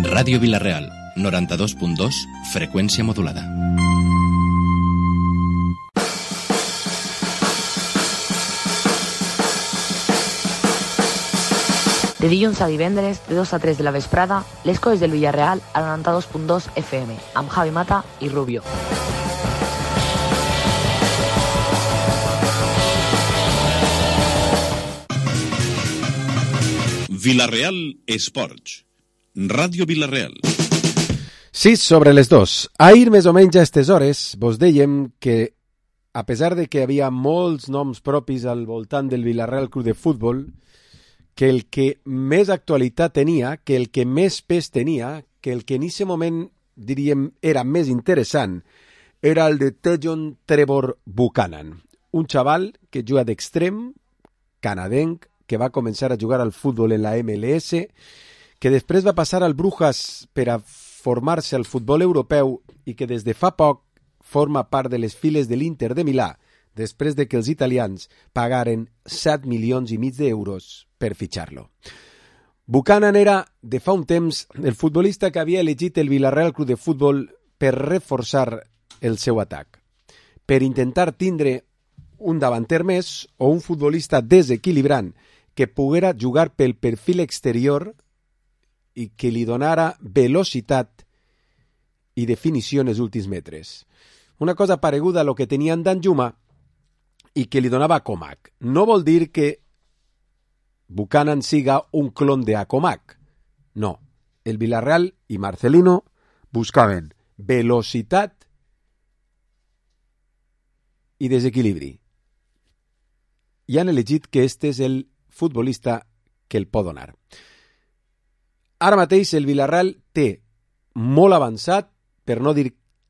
Ràdio Vila-real, 92.2, freqüència modulada. De dilluns a divendres, de 2 a 3 de la vesprada, les coses del Villarreal al 92.2 FM, amb Javi Mata i Rubio. Vila-real Esports. Ràdio Vila-real. 6 sobre les 2. Ahir, més o menys a aquestes hores, vos dèiem que, a pesar de que hi havia molts noms propis al voltant del Vila-real Club de Futbol, que el que més actualitat tenia, que el que més pes tenia, que el que en aquest moment, diríem, era més interessant, era el de Tejon Trevor Buchanan, un xaval que juga d'extrem, canadenc, que va començar a jugar al futbol en la MLS, que després va passar al Brujas per a formar-se al futbol europeu i que des de fa poc forma part de les files de l'Inter de Milà, després de que els italians pagaren 7 milions i mig d'euros per fitxar-lo. Buchanan era, de fa un temps, el futbolista que havia elegit el Vila-real Club de Futbol per reforçar el seu atac, per intentar tindre un davanter més o un futbolista desequilibrant que poguera jugar pel perfil exterior i que li donara velocitat i definició en els últims metres. Una cosa pareguda a lo que tenia en Danjuma i que li donava a Comac. No vol dir que Buchanan siga un clon de Acomac. No. El Villarreal i Marcelino buscaven velocitat i desequilibri. I han elegit que este és el futbolista que el pot donar. Ara mateix el Villarreal té molt avançat, per no dir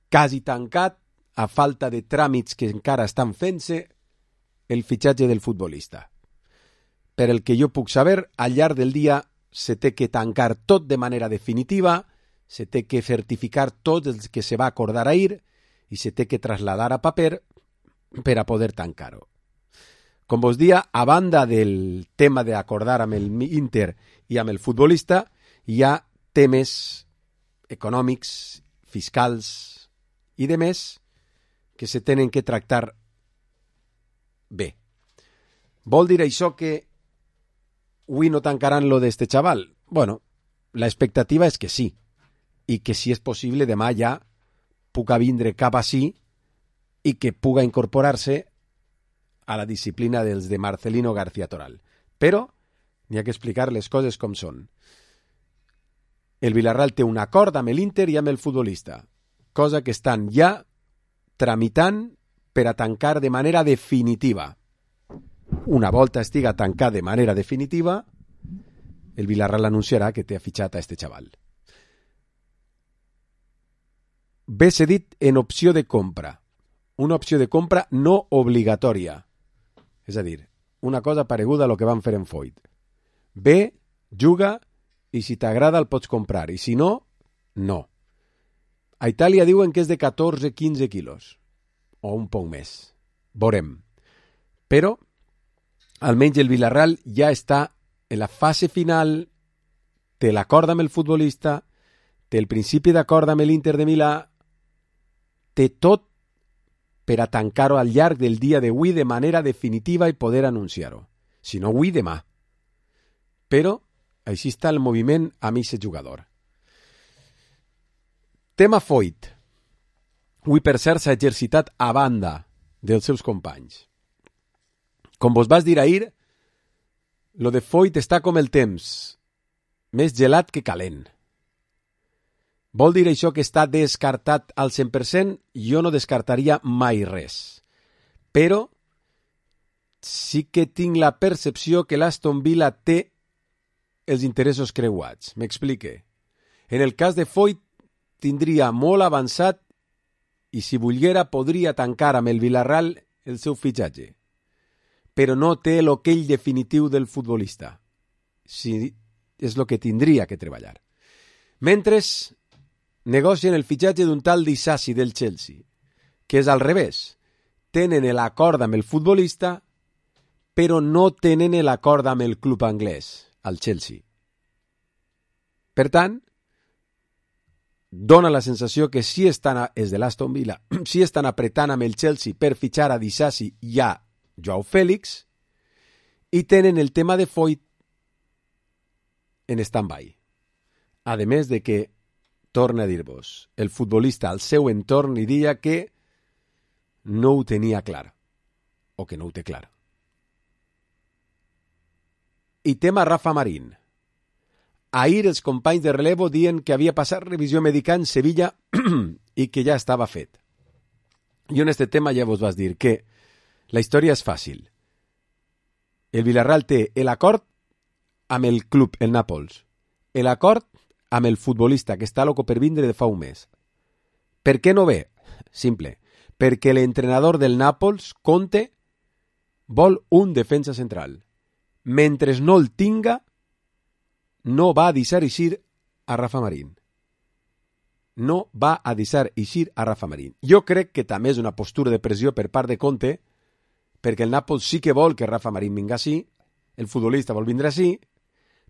quasi tancat, a falta de tràmits que encara estan fent-se, el fitxatge del futbolista. Per el que jo puc saber, al llarg del dia se té que tancar tot de manera definitiva, se té que certificar tot el que se va acordar ahir i se té que trasladar a paper per a poder tancar-ho. Com vos dia, a banda del tema d'acordar amb el Inter i amb el futbolista, hi ha temes econòmics, fiscals i de més que se tenen que tractar bé. Vol dir això que avui no tancaran lo d'este xaval? Bueno, la expectativa és que sí, i que si és possible demà ja puga vindre cap ací i que puga incorporar-se a la disciplina dels de Marcelino García Toral. Però n'hi ha que explicar les coses com són. El Villarreal té un acord amb l'Inter i amb el futbolista, cosa que estan ja tramitant per a tancar de manera definitiva. Una volta estiga tancat de manera definitiva, el Villarreal anunciarà que té fitxat a este xaval. Ve cedit en opció de compra. Una opció de compra no obligatòria. És a dir, una cosa pareguda a lo que van fer en Foyt. Ve, juga, i si t'agrada el pots comprar, i si no, no. A Itàlia diuen que és de 14-15 quilos, o un poc més. Veurem. Però, almenys el Villarreal ja està en la fase final, té l'acord amb el futbolista, té el principi d'acord amb l'Inter de Milà, té tot per a tancar-ho al llarg del dia d'avui de manera definitiva i poder anunciar-ho. Si no, avui, demà. Però, així està el moviment amb aquest jugador. Tema Foyt. Avui, per cert, s'ha exercitat a banda dels seus companys. Com vos vas dir ahir, lo de Foyt està com el temps, més gelat que calent. Vol dir això que està descartat al 100%? Jo no descartaria mai res. Però sí que tinc la percepció que l'Aston Villa té els interessos creuats. M'explique. En el cas de Foyt tindria molt avançat i si volguera podria tancar amb el Villarreal el seu fitxatge. Però no té l'okell definitiu del futbolista. Sí, és el que tindria que treballar. Mentre negocien el fitxatge d'un tal Disasi del Chelsea, que és al revés. Tenen l'acord amb el futbolista, però no tenen l'acord amb el club anglès, al Chelsea. Per tant, dona la sensació que sí estan, és de l'Aston Villa, sí estan apretant amb el Chelsea per fitxar a Disasi i a Joao Félix i tenen el tema de Foyt en stand-by. A més de que, torna a dir-vos, el futbolista al seu entorn li diria que no ho tenia clar, o que no ho té clar. I tema Rafa Marín. Ahir els companys de relevo dient que havia passat revisió mèdica en Sevilla i que ja estava fet. Jo en este tema ja vos vas dir que la història és fàcil. El Villarreal té l'acord amb el club, el Nàpols. L'acord amb el futbolista que està loco per vindre de fa un mes. Per què no ve? Simple. Perquè l'entrenador del Nàpols, Conte, vol un defensa central. Mentre no el tinga, no va a deixar eixir a Rafa Marín. No va a deixar eixir a Rafa Marín. Jo crec que també és una postura de pressió per part de Conte, perquè el Nàpols sí que vol que Rafa Marín vinga així, el futbolista vol vindre així,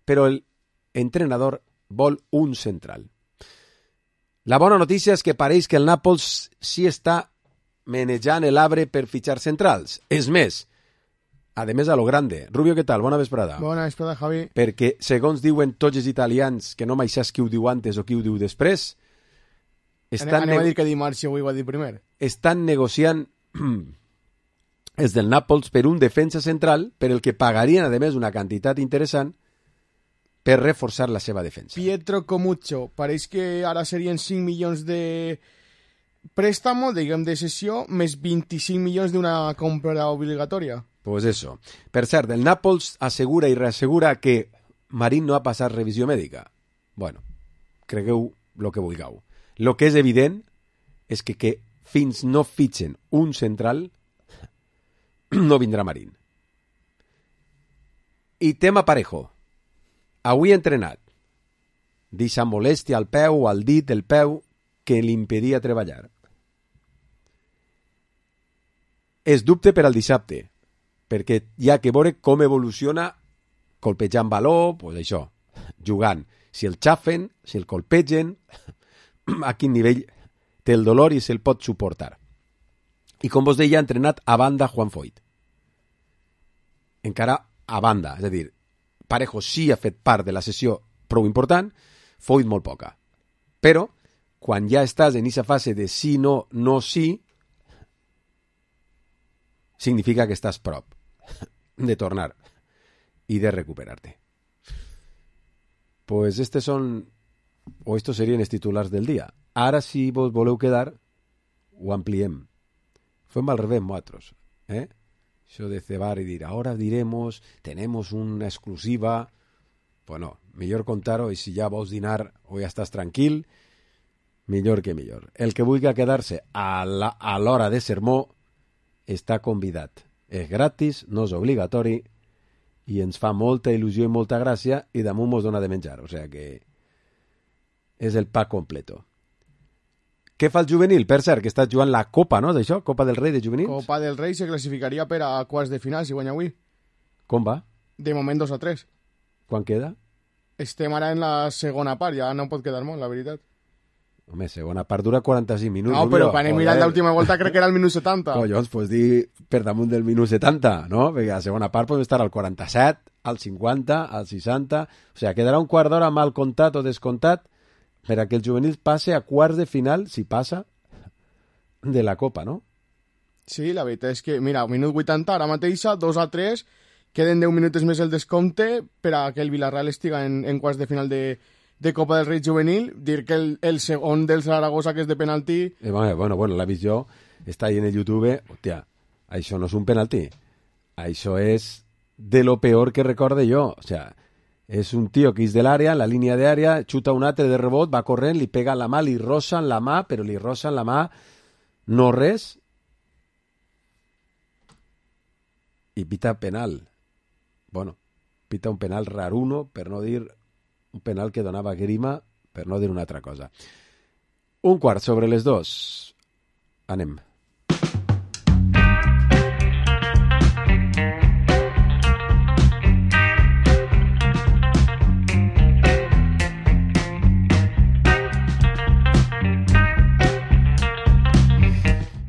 però l'entrenador vol un central. La bona notícia és que pareix que el Nàpols sí està menejant l'arbre per fitxar centrals. És més, a més a lo grande. Rubio, què tal? Bona vesprada. Bona vesprada, Javi. Perquè, segons diuen tots els italians, que no mai saps qui ho diu antes o qui ho diu després, anem a dir que dimarts i avui ho va dir primer. Estan negociant els del Nàpols per un defensa central per el que pagarien, a més, una quantitat interessant per reforçar la seva defensa. Pietro Comuccio, pareix que ara serien 5 milions de préstamo, diguem, de cessió, més 25 milions d'una compra obligatòria. Pues eso. Per cert, el Nàpols assegura i reassegura que Marín no ha passat revisió mèdica. Bueno, cregueu el que vulgueu. El que és evident és que fins no fitxen un central no vindrà Marín. I tema Parejo. Avui entrenat. Deixa molèstia al peu, al dit del peu, que li impedia treballar. És dubte per al dissabte, perquè hi ha que veure com evoluciona colpejant baló, pues això, jugant. Si el xafen, si el colpegen, a quin nivell té el dolor i se'l pot suportar. I com vos deia, ha entrenat a banda Juan Foyt. Encara a banda, és a dir, Parejo sí ha fet part de la sessió prou important, Foyt molt poca. Però, quan ja estàs en aquesta fase de sí, no, no, sí, significa que estàs prop de tornar i de recuperar-te. Pues estos serien els titulars del dia. Ara, si vos voleu quedar, ho ampliem. Fem al revés, nosaltres. Això de cebar i dir, ahora diremos, tenemos una exclusiva. Pues no, millor contar-ho, i si ja vols dinar o ja estàs tranquil, millor que millor. El que vulgui quedar-se a l'hora de sermó està convidat. És gratis, no és obligatori, i ens fa molta il·lusió i molta gràcia, i damunt mos dona de menjar. O sigui que és el pack completo. Què fa el juvenil? Per cert, que està jugant la Copa, no? D'això? Copa del Rei de juvenils? Copa del Rei se classificaria per a quarts de final, si guanya avui. Com va? De moment 2-3. Quan queda? Estem ara en la segona part, ja no pot quedar molt, la veritat. Home, segona part dura 45 minuts. No, però quan he mirat l'última volta crec que era el minut 70. Collons, pues dir per damunt del minut 70, no? Perquè a la segona part podem estar al 47, al 50, al 60... O sigui, quedarà un quart d'hora mal comptat o descomptat per a que el juvenil passe a quarts de final, si passa, de la Copa, no? Sí, la veritat és que, mira, minut 80, ara mateixa, 2-3, queden 10 minuts més el descompte per a que el Villarreal estiga en quarts de final de Copa del Rei juvenil, dir que el segon del Zaragoza, que és de penalti... Bueno, l'ha vist jo, està ahí en el YouTube, hòstia, això no és un penalti, això és de lo peor que recorde jo, o sea, és un tio que és de l'àrea, la línia d'àrea, xuta un altre de rebot, va corrent, li pega la mà, li rosen la mà, però li rosen la mà, no res, i pita penal. Bueno, pita un penal raruno, per no dir un penal que donava grima, per no dir una altra cosa. 2:15. Anem.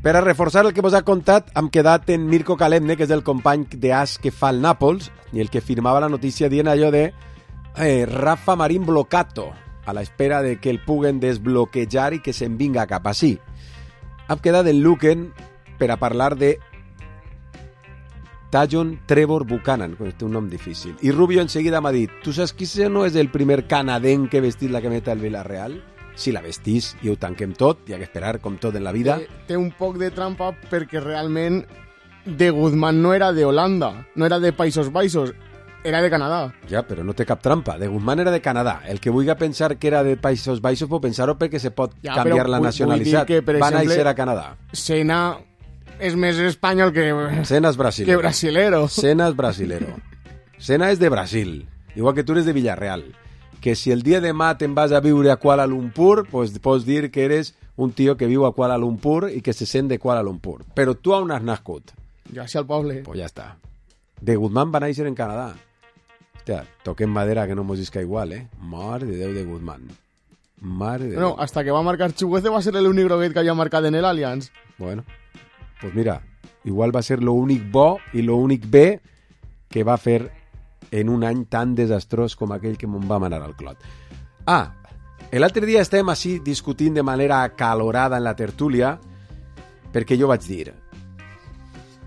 Per a reforçar el que vos ha contat, hem quedat en Mirko Kalemne, que és el company d'As que fa el Nàpols, i el que firmava la notícia dient allò de Rafa Marín blocato, a la espera de que el puguen desbloquejar i que se'n vinga cap així. Hem quedat en Luken per a parlar de Tajon Trevor Buchanan, que té un nom difícil. I Rubio enseguida m'ha dit, tu saps qui no és el primer canadenc que ha vestit la cameta del Villarreal? Si la vestís i ho tanquem tot, hi ha que esperar, com tot en la vida. Té un poc de trampa perquè realment de Guzmán no era de Holanda, no era de Països Baixos, era de Canadà. Ja, però no té cap trampa. De Guzmán era de Canadà. El que vulgui pensar que era de Països Baixos pot pensar-ho perquè se pot canviar la nacionalitat. Va néixer a Canadà. Senna és més espanyol que... Senna és brasilero. Que brasilero. Senna és brasilero. Senna és de Brasil, igual que tu eres de Villarreal. Que si el dia de demà te'n vas a viure a Kuala Lumpur, pues pots dir que eres un tio que viu a Kuala Lumpur i que se sent de Kuala Lumpur. Però tu on has nascut? Jo així al poble. Pues ja està. De Guzmán va néixer en Canadà. Hòstia, toquem madera que no mos isca igual, Mare de Déu de Guzmán. Mare de Déu. No, hasta que va marcar Chuguece va ser l'únic groguet que havia marcat en l'Allianz. Bueno, pues mira, igual va ser l'únic bo i l'únic bé que va fer en un any tan desastrós com aquell que me'n va manar al clot. L'altre dia estem així discutint de manera acalorada en la tertúlia perquè jo vaig dir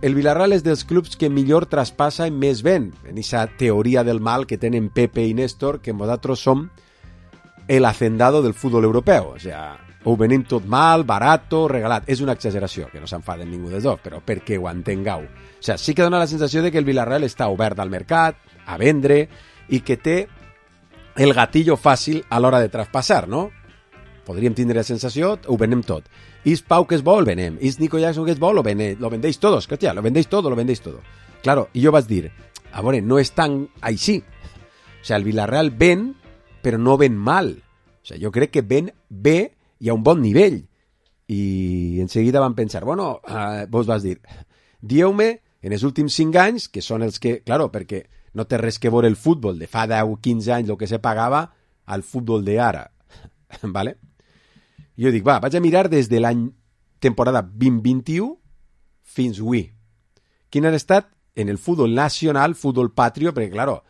el Villarreal és dels clubs que millor traspassa i més ven, en aquesta teoria del mal que tenen Pepe i Néstor, que nosaltres som el hacendado del futbol europeu, o sea, ho venim tot mal, barato, regalat. És una exageració, que no s'enfaden ningú dels dos, però perquè ho entengueu. O sea, sí que dona la sensació de que el Villarreal està obert al mercat, a vendre, i que té el gatillo fàcil a l'hora de traspassar, no? Podríem tindre la sensació, ho venem tot. Is Pau que és bo, el venem. Is Nico Jackson que és bo, lo vendeix todos. Hòstia, lo vendeix todo. Claro, i jo vaig dir, a veure, no és tan així. O sea, el Villarreal ven, però no ven mal. O sea, jo crec que ven bé i a un bon nivell. I en seguida van pensar, bueno, vos vas dir, dieu-me, en els últims 5 anys, que són els que, claro, perquè no té res que veure el futbol de fa 10 o 15 anys, el que se pagava, al futbol d'ara. ¿Vale? Jo dic, vaig a mirar des de l'any temporada 2021 fins avui. Quin ha estat en el futbol nacional, futbol patrio, perquè, claro,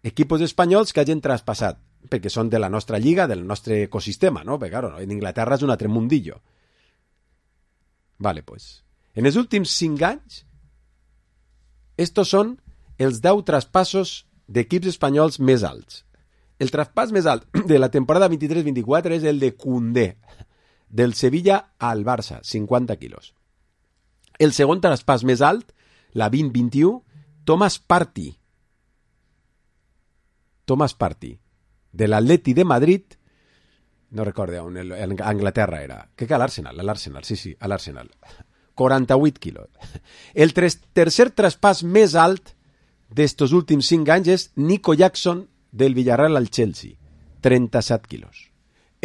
equipos espanyols que hagin traspassat, perquè són de la nostra lliga, del nostre ecosistema, no? Perquè, claro, en Inglaterra és un altre mundillo. Vale, pues. En els últims 5 anys, estos són els 10 traspassos d'equips espanyols més alts. El traspàs més alt de la temporada 23-24 és el de Koundé, del Sevilla al Barça, 50 quilos. El segon traspàs més alt, la 20-21, Thomas Partey, de l'Atleti de Madrid, no recordo on, a Anglaterra era. Crec que a l'Arsenal, sí, a l'Arsenal. 48 quilos. El tercer traspàs més alt d'estos últims 5 anys és Nico Jackson, del Villarreal al Chelsea, 37 quilos.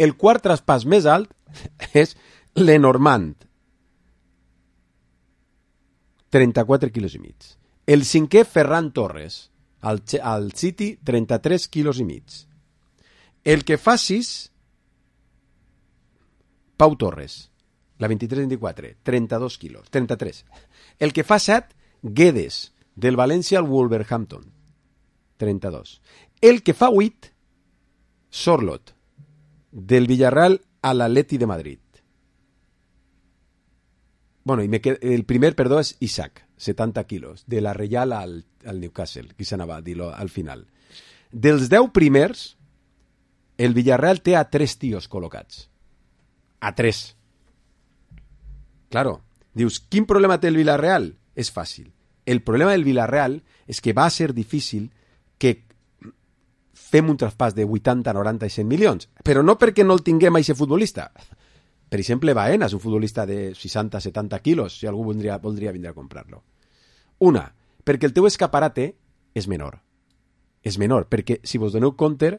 El quart traspàs més alt és Lenormand, 34 quilos i mig. El cinquè, Ferran Torres, al City, 33 quilos i mig. El que fa 6, Pau Torres, la 23-24, 32 quilos, 33. El que fa 7, Guedes, del València al Wolverhampton, 32. El que fa 8, Sorlot, del Villarreal a l'Atleti de Madrid. Bueno, el primer, perdó, és Isaac, 70 quilos, de la Reial al Newcastle, qui s'anava a dir-lo al final. Dels 10 primers, el Villarreal té a 3 tios col·locats. A 3. Claro, dius, quin problema té el Villarreal? És fàcil. El problema del Villarreal és que va ser difícil que fem un traspàs de 80, 90 i 100 milions, però no perquè no el tinguem a aquest futbolista. Per exemple, Baena és un futbolista de 60, 70 quilos, si algú voldria vindre a comprar-lo. Una, perquè el teu escaparate és menor. És menor, perquè, si vos doneu compte,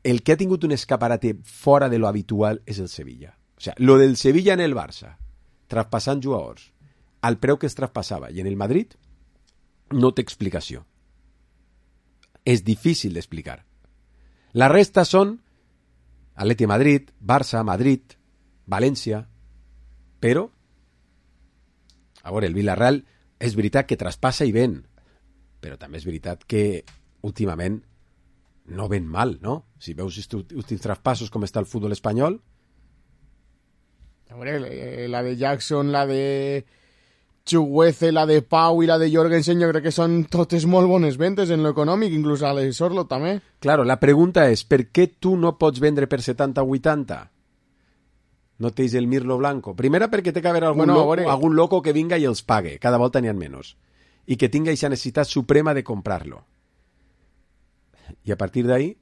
el que ha tingut un escaparate fora de lo habitual és el Sevilla. O sea, lo del Sevilla en el Barça, traspassant jugadors, al preu que es traspassava, i en el Madrid, no té explicació. És difícil d'explicar. La resta són Atleti Madrid, Barça, Madrid, València, Però, a veure, el Villarreal és veritat que traspassa i ven, però també és veritat que últimament no ven mal, no? Si veus els últims traspassos com està el futbol espanyol... A veure, la de Jackson, la de Chuguece, la de Pau i la de Jorgensen, jo crec que són totes molt bones ventes en l'econòmic, inclús a l'Sorlo també. Claro, la pregunta és, per què tu no pots vendre per 70-80? No tens el Mirlo Blanco. Primera, perquè té que haver algun loco que vinga i els pague. Cada volta n'hi ha menys. I que tinga aquesta necessitat suprema de comprar-lo. I a partir d'ahí,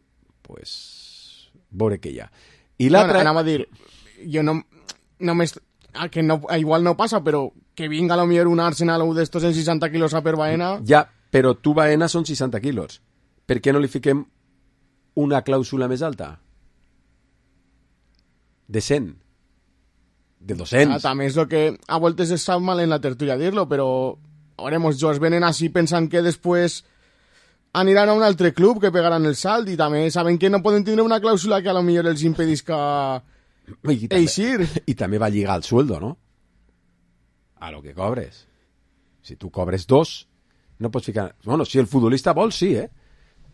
pues, veure què hi ha. I l'altra... Bueno, anava a dir, jo no que no, igual no passa, però que vinga a lo millor un Arsenal o d'estos en 60 quilos a per Baena... Ja, però tu Baena són 60 quilos. Per què no li fiquem una clàusula més alta? De 100. De 200. També és el que a voltes es sap mal en la tertúlia dir-lo, però veuremos, jo es venen així pensant que després aniran a un altre club que pegaran el salt i també saben que no poden tindre una clàusula que a lo millor els impedisca eixir. I també va lligar el sueldo, no? A lo que cobres. Si tu cobres 2, no pots ficar... Bueno, si el futbolista vol, sí,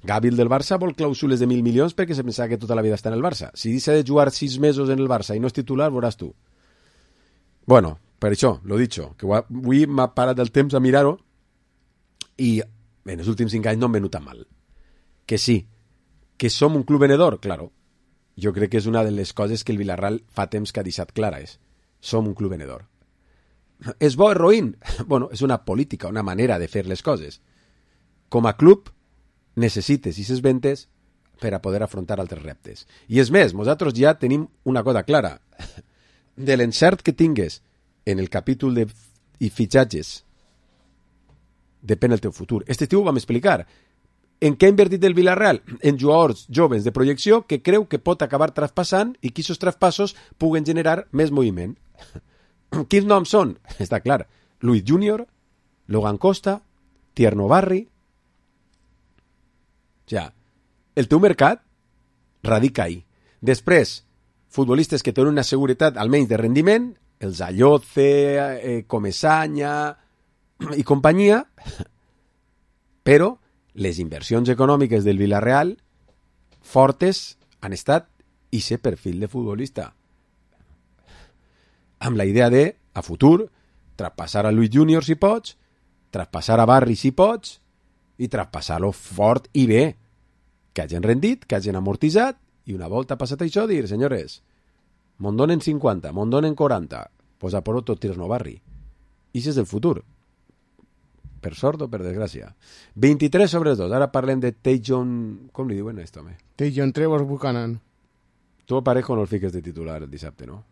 Gavi del Barça vol clàusules de 1.000 milions perquè se pensava que tota la vida està en el Barça. Si deixa de jugar 6 mesos en el Barça i no és titular, veuràs tu. Bueno, per això, lo dicho, que avui m'ha parat el temps a mirar-ho i en els últims 5 anys no hem venut tan mal. Que sí, que som un club venedor, claro. Jo crec que és una de les coses que el Villarreal fa temps que ha deixat clares. Som un club venedor. És bo, és roïn? Bueno, és una política, una manera de fer les coses. Com a club, necessites aquestes ventes per a poder afrontar altres reptes. I és més, nosaltres ja tenim una cosa clara. De l'encert que tingues en el capítol de fitxatges depèn el teu futur. Este estiu ho vam explicar. En què ha invertit el Villarreal? En jugadors joves de projecció que creu que pot acabar traspassant i que aquests traspassos puguen generar més moviment. Quins noms són? Està clar. Luis Junior, Logan Costa, Tierno Barri... Ja, el teu mercat radica ahí. Després, futbolistes que tenen una seguretat almenys de rendiment, els Alloce, Comesaña i companyia, però les inversions econòmiques del Villarreal fortes han estat ese perfil de futbolista. Amb la idea de, a futur, traspassar a Luis Junior si pots, traspassar a Barri si pots, i traspassar-lo fort i bé, que hagin rendit, que hagin amortitzat, i una volta passat això dir, senyores, me'n donen 50, me'n donen 40, pues a por tot Tierno Barri. I això és el futur. Per sort o per desgràcia. 23/2, ara parlem de Tajon... Com li diuen esto, home? Tajon Trevor Buchanan. Tu a Parejo no el fiques de titular el dissabte, no?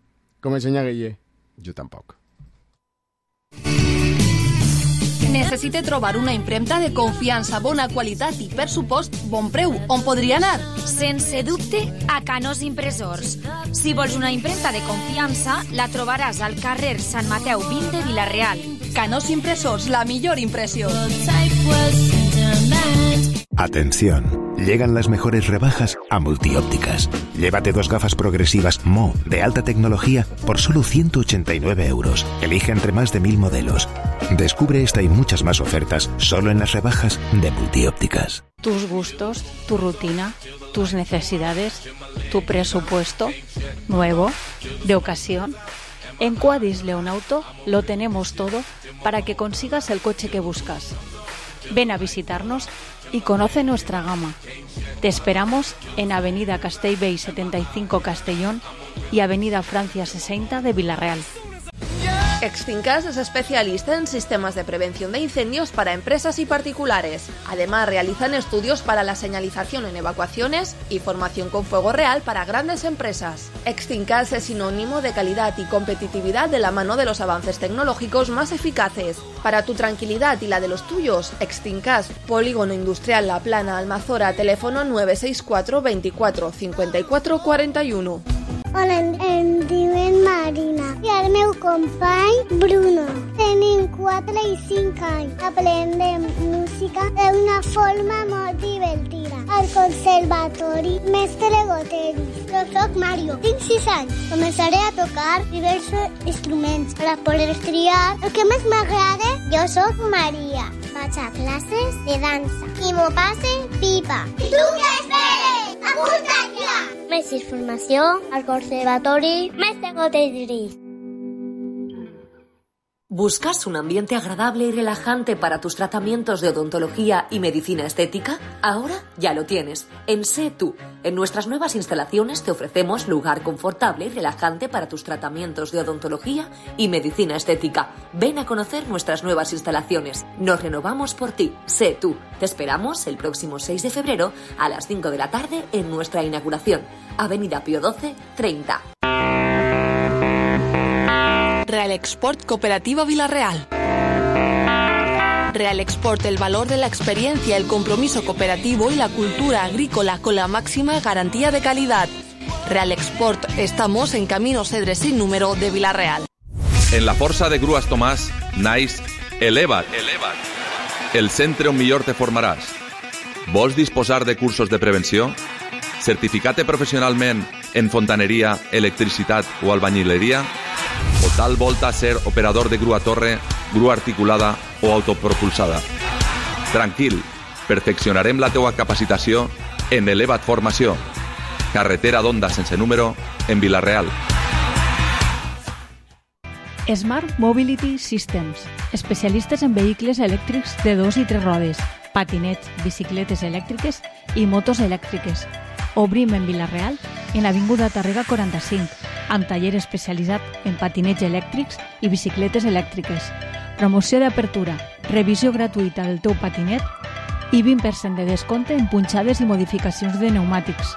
Com ensenya Guille. Jo tampoc. Necessite trobar una impremta de confiança, bona qualitat i, per supost, bon preu. On podria anar? Sense dubte, a Canós Impressors. Si vols una impremta de confiança, la trobaràs al carrer Sant Mateu 20 de Vila-real. Canós Impressors, la millor impressió. Atención, llegan las mejores rebajas a Multiópticas. Llévate 2 gafas progresivas Mo de alta tecnología por solo 189 euros. Elige entre más de 1000 modelos. Descubre esta y muchas más ofertas solo en las rebajas de Multiópticas. Tus gustos, tu rutina, tus necesidades, tu presupuesto, nuevo, de ocasión. En Quadis Leonauto lo tenemos todo para que consigas el coche que buscas. Ven a visitarnos y conoce nuestra gama. Te esperamos en Avenida Castellbell 75 Castellón y Avenida Francia 60 de Vila-real. Extincas es especialista en sistemas de prevención de incendios para empresas y particulares. Además, realizan estudios para la señalización en evacuaciones y formación con fuego real para grandes empresas. Extincas es sinónimo de calidad y competitividad de la mano de los avances tecnológicos más eficaces. Para tu tranquilidad y la de los tuyos, Extincas, Polígono Industrial La Plana, Almazora, teléfono 964 24 54 41. Hola, em diuen Marina i el meu company Bruno. Tenim 4 i 5 anys. Aprendem música d'una forma molt divertida. Al Conservatori Mestre Goteris. Jo soc Mario, tinc 6 anys. Començaré a tocar diversos instruments per a poder triar el que més m'agrada. Jo soc Maria. Vaig a classes de dansa i m'ho passe pipa. Tu què esperes? Apunta't ja! Més informació al Conservatori Mestre Goteris. ¿Buscas un ambiente agradable y relajante para tus tratamientos de odontología y medicina estética? Ahora ya lo tienes. En Sé Tú. En nuestras nuevas instalaciones te ofrecemos lugar confortable y relajante para tus tratamientos de odontología y medicina estética. Ven a conocer nuestras nuevas instalaciones. Nos renovamos por ti. Sé Tú. Te esperamos el próximo 6 de febrero a las 5 de la tarde en nuestra inauguración. Avenida Pío XII, 30. Real Export Cooperativa Villarreal. Real Export, el valor de la experiencia, el compromiso cooperativo y la cultura agrícola con la máxima garantía de calidad. Real Export, estamos en Camino Cedre sin número de Villarreal. En la Força de Grues Tomàs, naix Eleva't. El centre on millor te formaràs. Vols disposar de cursos de prevenció? Certificar-te professionalment en fontaneria, electricitat o albañileria? O tal volta ser operador de grua torre, grua articulada o autopropulsada? Tranquil, perfeccionarem la teua capacitació en Eleva't Formació. Carretera d'Onda sense número, en Vila-real. Smart Mobility Systems, especialistes en vehicles elèctrics de 2 i 3 rodes, patinets, bicicletes elèctriques i motos elèctriques. Obrim en Vila-real, en l'Avinguda Tàrrega 45, amb taller especialitzat en patinets elèctrics i bicicletes elèctriques. Promoció d'apertura, revisió gratuïta del teu patinet i 20% de descompte en punxades i modificacions de pneumàtics.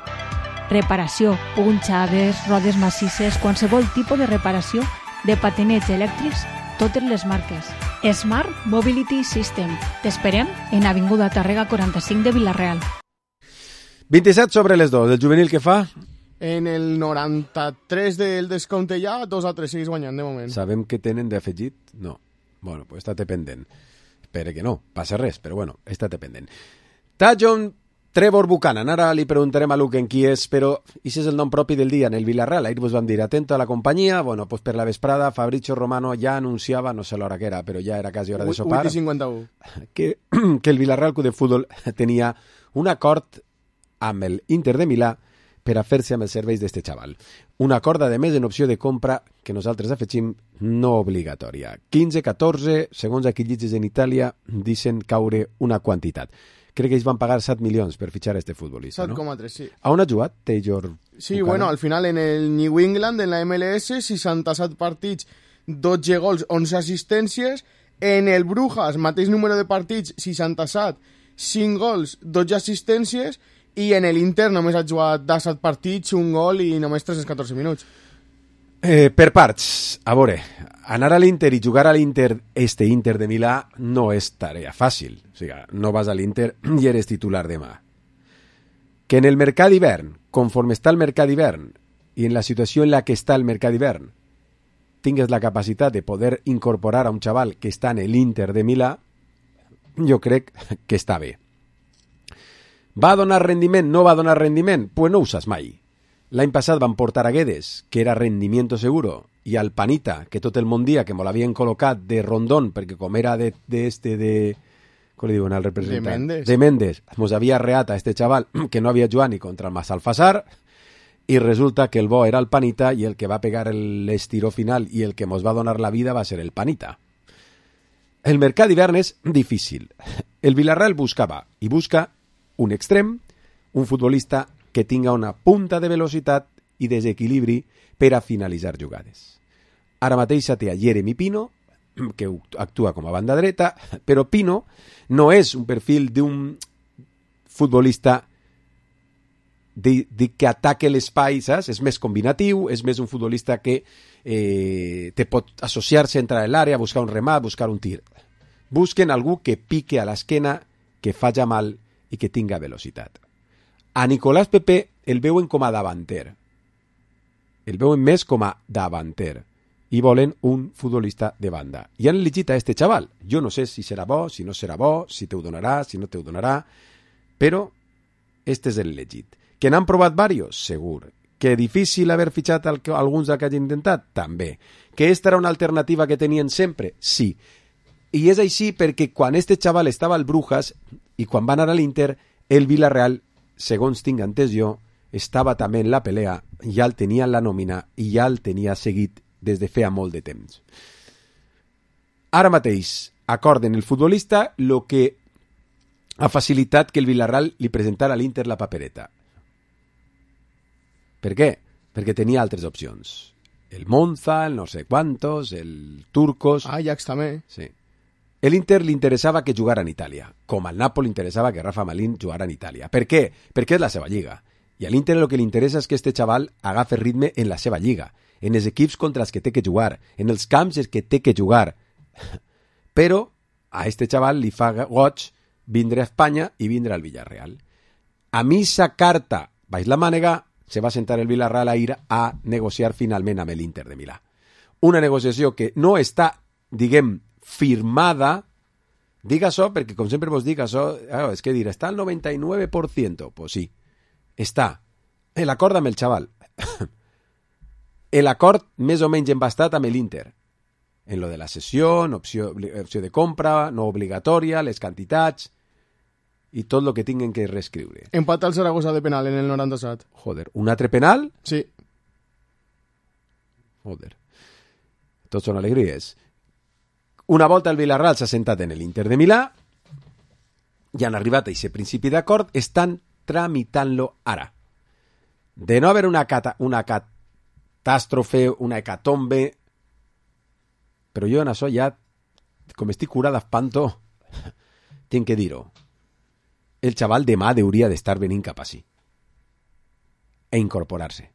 Reparació, punxades, rodes massisses, qualsevol tipus de reparació de patinets elèctrics, totes les marques. Smart Mobility System. T'esperem en Avinguda Tàrrega 45 de Vila-real. 27 sobre les 2. El juvenil que fa? En el 93 del descompte ja, 2-3 seguís guanyant de moment. Sabem que tenen d'afegit? No. Bueno, pues estate pendent. Espera que no, passa res, però bueno, estate pendent. Tajon Trevor Buchanan. Ara li preguntarem a Luke en qui és, però això és el nom propi del dia en el Villarreal. Ahir vos vam dir, atento a la companyia. Bueno, pues per la vesprada, Fabrizio Romano ja anunciava, no sé l'hora que era, però ja era quasi hora de sopar, 8:51. Que el Villarreal Club de Futbol tenia un acord amb el Inter de Milà per a fer-se amb els serveis d'este xaval. Un acord, a més, en opció de compra que nosaltres afegim no obligatòria. 15-14, segons aquí llitges en Itàlia, deixen caure una quantitat. Crec que ells van pagar 7 milions per fitxar este futbolista, 7,3, no? sí. A on ha jugat Taylor? Sí, bueno, al final en el New England, en la MLS, 67 partits, 12 gols, 11 assistències. En el Brujas, mateix número de partits, 67, 5 gols, 12 assistències. I en l'Inter només ha jugat 17 partits, un gol i només 314 minuts. Per parts, a veure, anar a l'Inter i jugar a l'Inter, este Inter de Milà, no és tarea fàcil. O sigui, no vas a l'Inter i eres titular demà. Que en el mercat d'hivern, conforme està el mercat d'hivern i en la situació en la que està el mercat d'hivern, tingues la capacitat de poder incorporar a un xaval que està en l'Inter de Milà, jo crec que està bé. Va donar rendiment? No va donar rendiment? Pues no ho saps mai. L'any passat van portar a Guedes, que era rendimiento seguro, i al Panita, que tot el món dia que me l'havien col·locat de Rondón, perquè com era de com li diuen al representant? De Mendes. Mos havia arreat a este xaval que no havia jugat ni contra el Massalfassar, i resulta que el bo era el Panita i el que va pegar l'estiró final i el que mos va donar la vida va ser el Panita. El mercat d'hivern és difícil. El Villarreal buscava i busca un extrem, un futbolista que tinga una punta de velocitat i desequilibri per a finalitzar jugades. Ara mateix té a Jeremy Pino, que actua com a banda dreta, però Pino no és un perfil d'un futbolista que ataque l'espai, saps? És més combinatiu, és més un futbolista que te pot associar-se, entrar a l'àrea, buscar un remat, buscar un tir. Busquen algú que pique a l'esquena, que faci mal i que tinga velocitat. A Nicolás Pepe el veuen com a davanter. El veuen més com a davanter. I volen un futbolista de banda. I han elegit a este xaval. Jo no sé si serà bo, si no serà bo, si te ho donarà, si no te ho donarà, però este és el legit. Que n'han provat varios? Segur. Que difícil haver fitxat alguns que hagin intentat? També. Que esta era una alternativa que tenien sempre? Sí. I és així perquè quan este xaval estava al Brujas i quan va anar a l'Inter, el Villarreal, segons tinc entès jo, estava també en la pelea, ja el tenia en la nòmina i ja el tenia seguit des de feia molt de temps. Ara mateix acorden el futbolista lo que ha facilitat que el Villarreal li presentara a l'Inter la papereta. Per què? Perquè tenia altres opcions. El Monza, el no sé quantos, el Turcos... Ajax també. Sí. A l'Inter li interessava que jugara en Itàlia, com al Napoli interessava que Rafa Marín jugara en Itàlia. Per què? Perquè és la seva lliga. I a l'Inter el que li interessa és que este xaval agafi ritme en la seva lliga, en els equips contra els que té que jugar, en els camps que té que jugar. Però a este xaval li fa goig vindre a Espanya i vindre al Villarreal. A missa carta baix la mànega se va sentar el Villarreal a ir a negociar finalment amb l'Inter de Milà. Una negociació que no està, diguem, firmada, dic això perquè, com sempre vos dic, això, és que dir, està al 99%, pues sí, està. L'acord amb el xaval. L'acord més o menys embastat amb l'Inter. En lo de la cessió, opció de compra, no obligatòria, les quantitats i tot el que tinguen que reescriure. Empat al Zaragoza de penal en el 97. Joder, un altre penal? Sí. Joder. Tots són alegries. Una volta el Villarreal s'ha sentat en l'Inter de Milà i han arribat a aquest principi d'acord, estan tramitant-lo ara. De no haver una catàstrofe, una hecatombe, però jo en això ja, com estic curat d'espanto, tinc que dir-ho. El xaval demà hauria d'estar venint cap així e incorporar-se.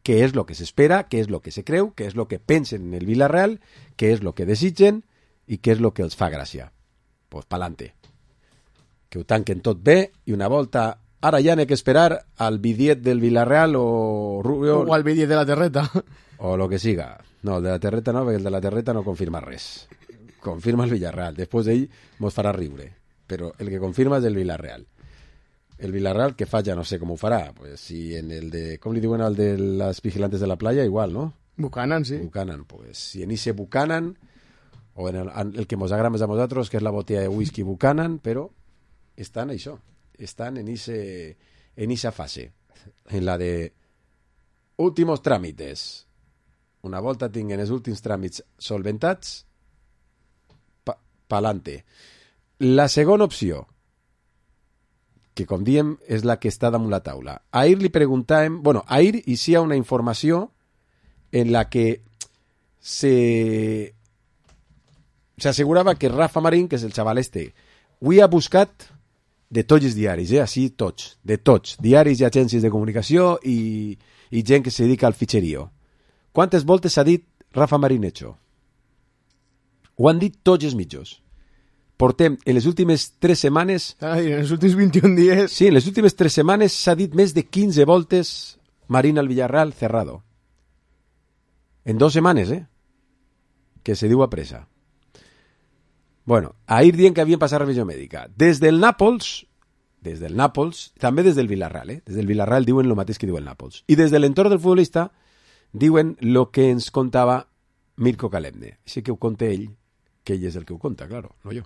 Què és el que s'espera, què és el que se creu, què és el que pensen en el Villarreal, què és el que desitgen i què és el que els fa gràcia. Pues pa'lante. Que ho tanquen tot bé i una volta... Ara ja n'he que esperar al bidiet del Villarreal o Rubio... O al bidiet de la Terreta. O lo que siga. No, el de la Terreta no, perquè el de la Terreta no confirma res. Confirma el Villarreal. Després d'ell mos farà riure. Però el que confirma és el Villarreal. El Villarreal que fa ja no sé com ho farà. Pues si en el de... Com li diuen al de les vigilantes de la playa? Igual, no? Buchanan, sí. Buchanan, pues si en ese Buchanan o en el que mos agrada més a nosaltres, que és la botella de whisky Buchanan, però estan això. Estan en esa fase. En la de últimos tràmites. Una volta tinguen els últims tràmits solventats, pa'lante. La segona opció, que com diem és la que està damunt la taula. Ahir li preguntàvem... Bueno, ahir hi ha una informació en la que se assegurava que Rafa Marín, que és el xaval este, avui ha buscat de tots els diaris, així tots, de tots, diaris i agències de comunicació i gent que se dedica al fitxerío. Quantes voltes ha dit Rafa Marín hecho? Ho han dit tots els mitjos. Portem, en les últimes 3 setmanes... En els últims 21 dies... Sí, en les últimes 3 setmanes s'ha dit més de 15 voltes Marín al Villarreal cerrado. En 2 setmanes, que se diu a pressa. Bueno, ahir dient que havien passat revisió mèdica. Des del Nàpols, també des del Villarreal, des del Villarreal diuen el mateix que diu el Nàpols. I des de l'entorn del futbolista diuen el que ens contava Mirko Kalemne. Així que ho conta ell, que ell és el que ho conta, claro, no yo.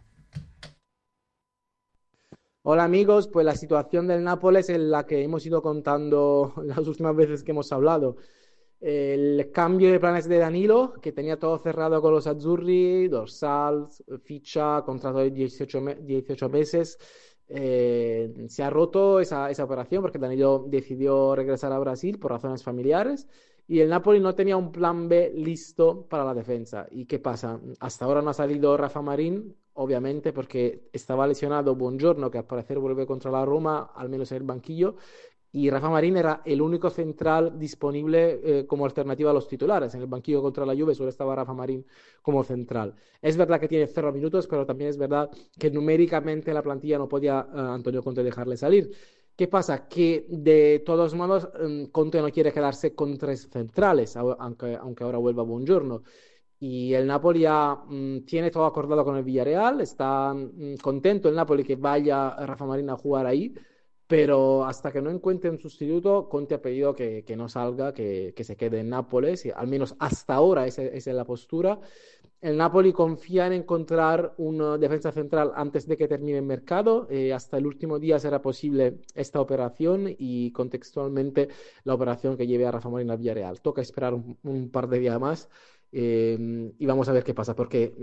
Hola amigos, pues la situación del Nápoles es la que hemos ido contando las últimas veces que hemos hablado. El cambio de planes de Danilo, que tenía todo cerrado con los azzurri, dorsal, ficha, contrato de 18 meses, se ha roto esa operación porque Danilo decidió regresar a Brasil por razones familiares y el Napoli no tenía un plan B listo para la defensa. ¿Y qué pasa? Hasta ahora no ha salido Rafa Marín, obviamente porque estaba lesionado Buongiorno, que al parecer vuelve contra la Roma, al menos en el banquillo, y Rafa Marín era el único central disponible como alternativa a los titulares. En el banquillo contra la Juve solo estaba Rafa Marín como central. Es verdad que tiene 0 minutos, pero también es verdad que numéricamente la plantilla no podía Antonio Conte dejarle salir. ¿Qué pasa? Que de todos modos Conte no quiere quedarse con 3 centrales, aunque ahora vuelva Buongiorno. Y el Napoli ya tiene todo acordado con el Villarreal, está contento el Napoli que vaya Rafa Marín a jugar ahí, pero hasta que no encuentre un sustituto, Conte ha pedido que no salga, que se quede en Nápoles, y al menos hasta ahora esa es la postura. El Napoli confía en encontrar una defensa central antes de que termine el mercado. Hasta el último día será posible esta operación y contextualmente la operación que lleve a Rafa Marín al Villarreal. Toca esperar un par de días más y vamos a ver qué pasa, porque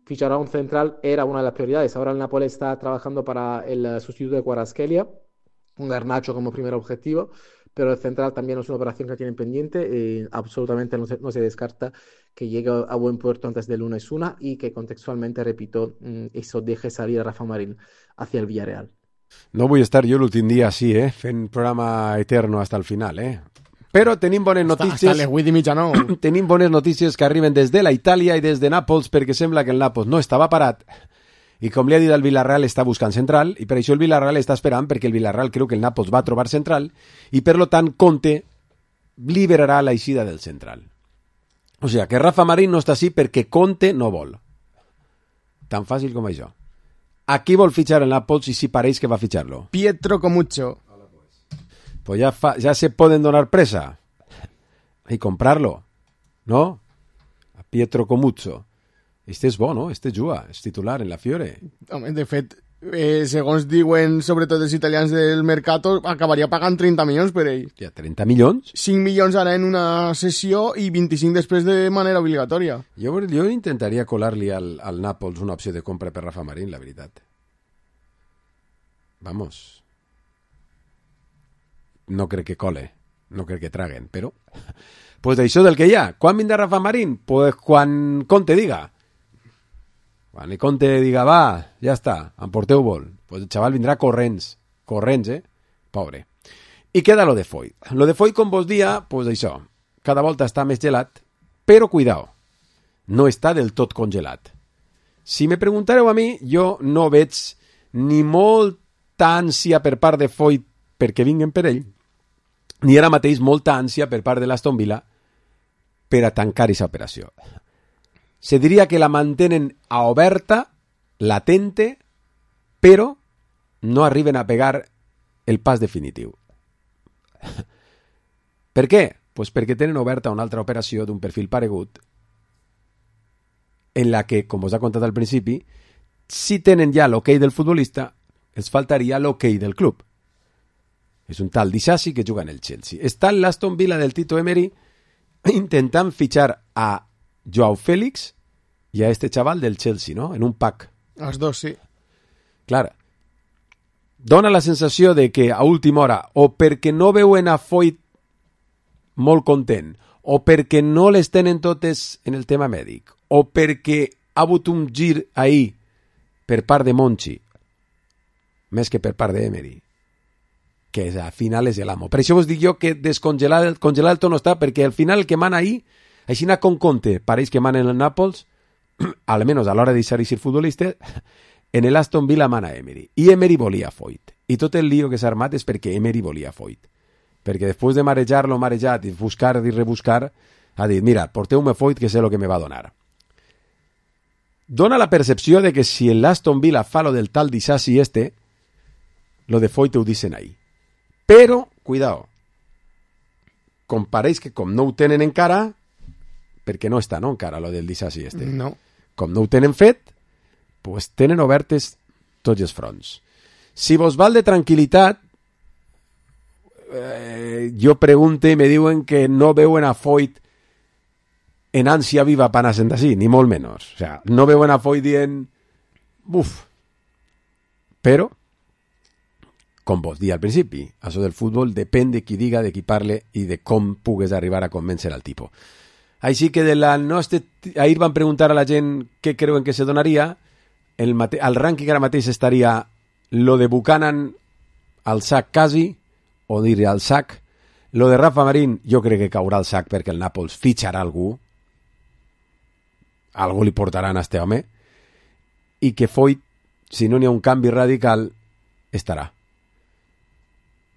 fichar a un central era una de las prioridades. Ahora el Napoli está trabajando para el sustituto de Kvaratskhelia, con Garnacho como primer objetivo, pero el central también es una operación que tienen pendiente. Absolutamente no se descarta que llegue a buen puerto antes del lunes 1 y que contextualmente, repito, eso deje salir a Rafa Marín hacia el Villarreal. No vull estar jo l'últim dia així, fent programa eterno hasta el final, Però tenim bones notícies. Hasta les 8 i mitja, no? Tenim bones notícies que arriben des de la Itàlia i des de Nàpols, perquè sembla que el Nàpols no estava parat. I com li ha dit el Villarreal, està buscant central, i per això el Villarreal està esperant, perquè el Villarreal creu que el Nàpols va trobar central, i per lo tant Conte liberarà l'eixida del central. O sigui, que Rafa Marín no està així perquè Conte no vol. Tan fàcil com això. A qui vol fitxar el Nàpols i si pareix que va fitxar-lo? Pietro Comuccio. Pues ya se pueden donar presa y comprarlo, ¿no? A Pietro Comuccio. Este és bo, no? Este juga, és titular en la Fiore. Home, de fet, segons diuen sobretot els italians del Mercato, acabaria pagant 30 milions per ell. Ja, 30 milions? 5 milions ara en una sessió i 25 després de manera obligatòria. Jo intentaria colar-li al Nàpols una opció de compra per Rafa Marín, la veritat. Vamos. No crec que cole, no crec que traguen, però... Pues d'això del que hi ha. Quan vindrà Rafa Marín? Pues quan Conte diga. Quan el Conte diga, va, ja està, emporteu-vos. Pues el xaval vindrà corrents, pobre. I queda lo de Foyt. Lo de Foyt, com vos dia, pues això, cada volta està més gelat, però cuidao, no està del tot congelat. Si me preguntareu a mi, jo no veig ni molta ànsia per part de Foyt perquè vinguen per ell, ni ara mateix molta ànsia per part de l'Aston Villa per a tancar aquesta operació. Se diria que la mantenen a oberta, latente, però no arriben a pegar el pas definitiu. Per què? Pues perquè tenen oberta una altra operació d'un perfil paregut en la que, com us ha contat al principi, si tenen ja l'hoquei del futbolista, els faltaria l'hoquei del club. És un tal Disasi que juga en el Chelsea. Està l'Aston Villa del Tito Emery intentant fitxar a Joao Félix i a este chaval del Chelsea, ¿no? En un pack. Els dos, sí. Clar. Dona la sensació de que a última hora, o perquè no veuen a Foyt molt content, o perquè no les tenen totes en el tema mèdic, o perquè ha hagut un gir ahir per part de Monchi, més que per part d'Emery, que al final és l'amo. Per això vos dic jo que congelar el to no està, perquè al final el que mana ahí, així anar con Conte, pareix que mana en el Nàpols, almenys a l'hora de deixar ser futbolista, en el Aston Villa mana Emery. I Emery volia Foyt. I tot el lío que s'ha armat és perquè Emery volia Foyt. Perquè després de marejar-lo marejat i buscar i rebuscar, ha dit, mira, porteu-me Foyt que sé el que me va donar. Dona la percepció de que si el Aston Villa fa lo del tal Disasi lo de Foyt ho dicen ahí. Però, cuidao, com pareix que com no ho tenen encara, perquè no està, no, encara, lo del Disasi No. Com no ho tenen fet, pues tenen obertes tots els fronts. Si vos val de tranquil·litat, jo pregunte i me diuen que no veuen a Foyt en ànsia viva per anar-se'n d'ací, ni molt menys. O sea, no veuen a Foyt dient, buf, però com vos di al principi, això del futbol depèn de qui diga, de qui parle i de com pugues arribar a convèncer al tipus. Així que ahir van preguntar a la gent què creuen que se donaria, al rànquing ara mateix estaria lo de Buchanan al sac quasi, o dir al sac, lo de Rafa Marín jo crec que caurà al sac perquè el Nàpols fitxarà algú li portaran a este home, i que Foyt, si no n'hi ha un canvi radical, estarà.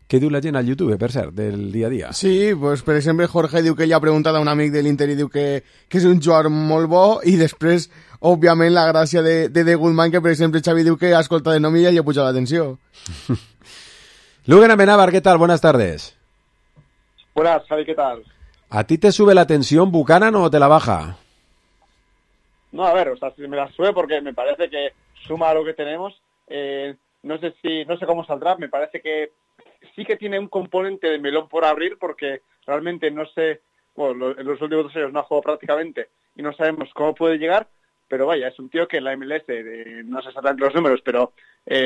Què diu la gent al YouTube, per cert, del dia a dia? Sí, pues, per exemple, Jorge diu que ell ha preguntat a un amic de l'Inter i diu que és un jugador molt bo, i després, òbviament, la gràcia de Goodman, que, per exemple, Xavi diu que ha escoltat de nom i ja li ha pujat l'atenció. Lugan Amenábar, ¿qué tal? Buenas tardes. Buenas, Javi, ¿qué tal? ¿A ti te sube la tensión Buchanan o te la baja? No, a ver, o sea, me la sube porque me parece que suma a lo que tenemos. No sé cómo saldrá, me parece que sí que tiene un componente de melón por abrir porque realmente no sé, bueno, en los últimos 2 años no ha jugado prácticamente y no sabemos cómo puede llegar, pero vaya, es un tío que en la MLS, no sé exactamente los números, pero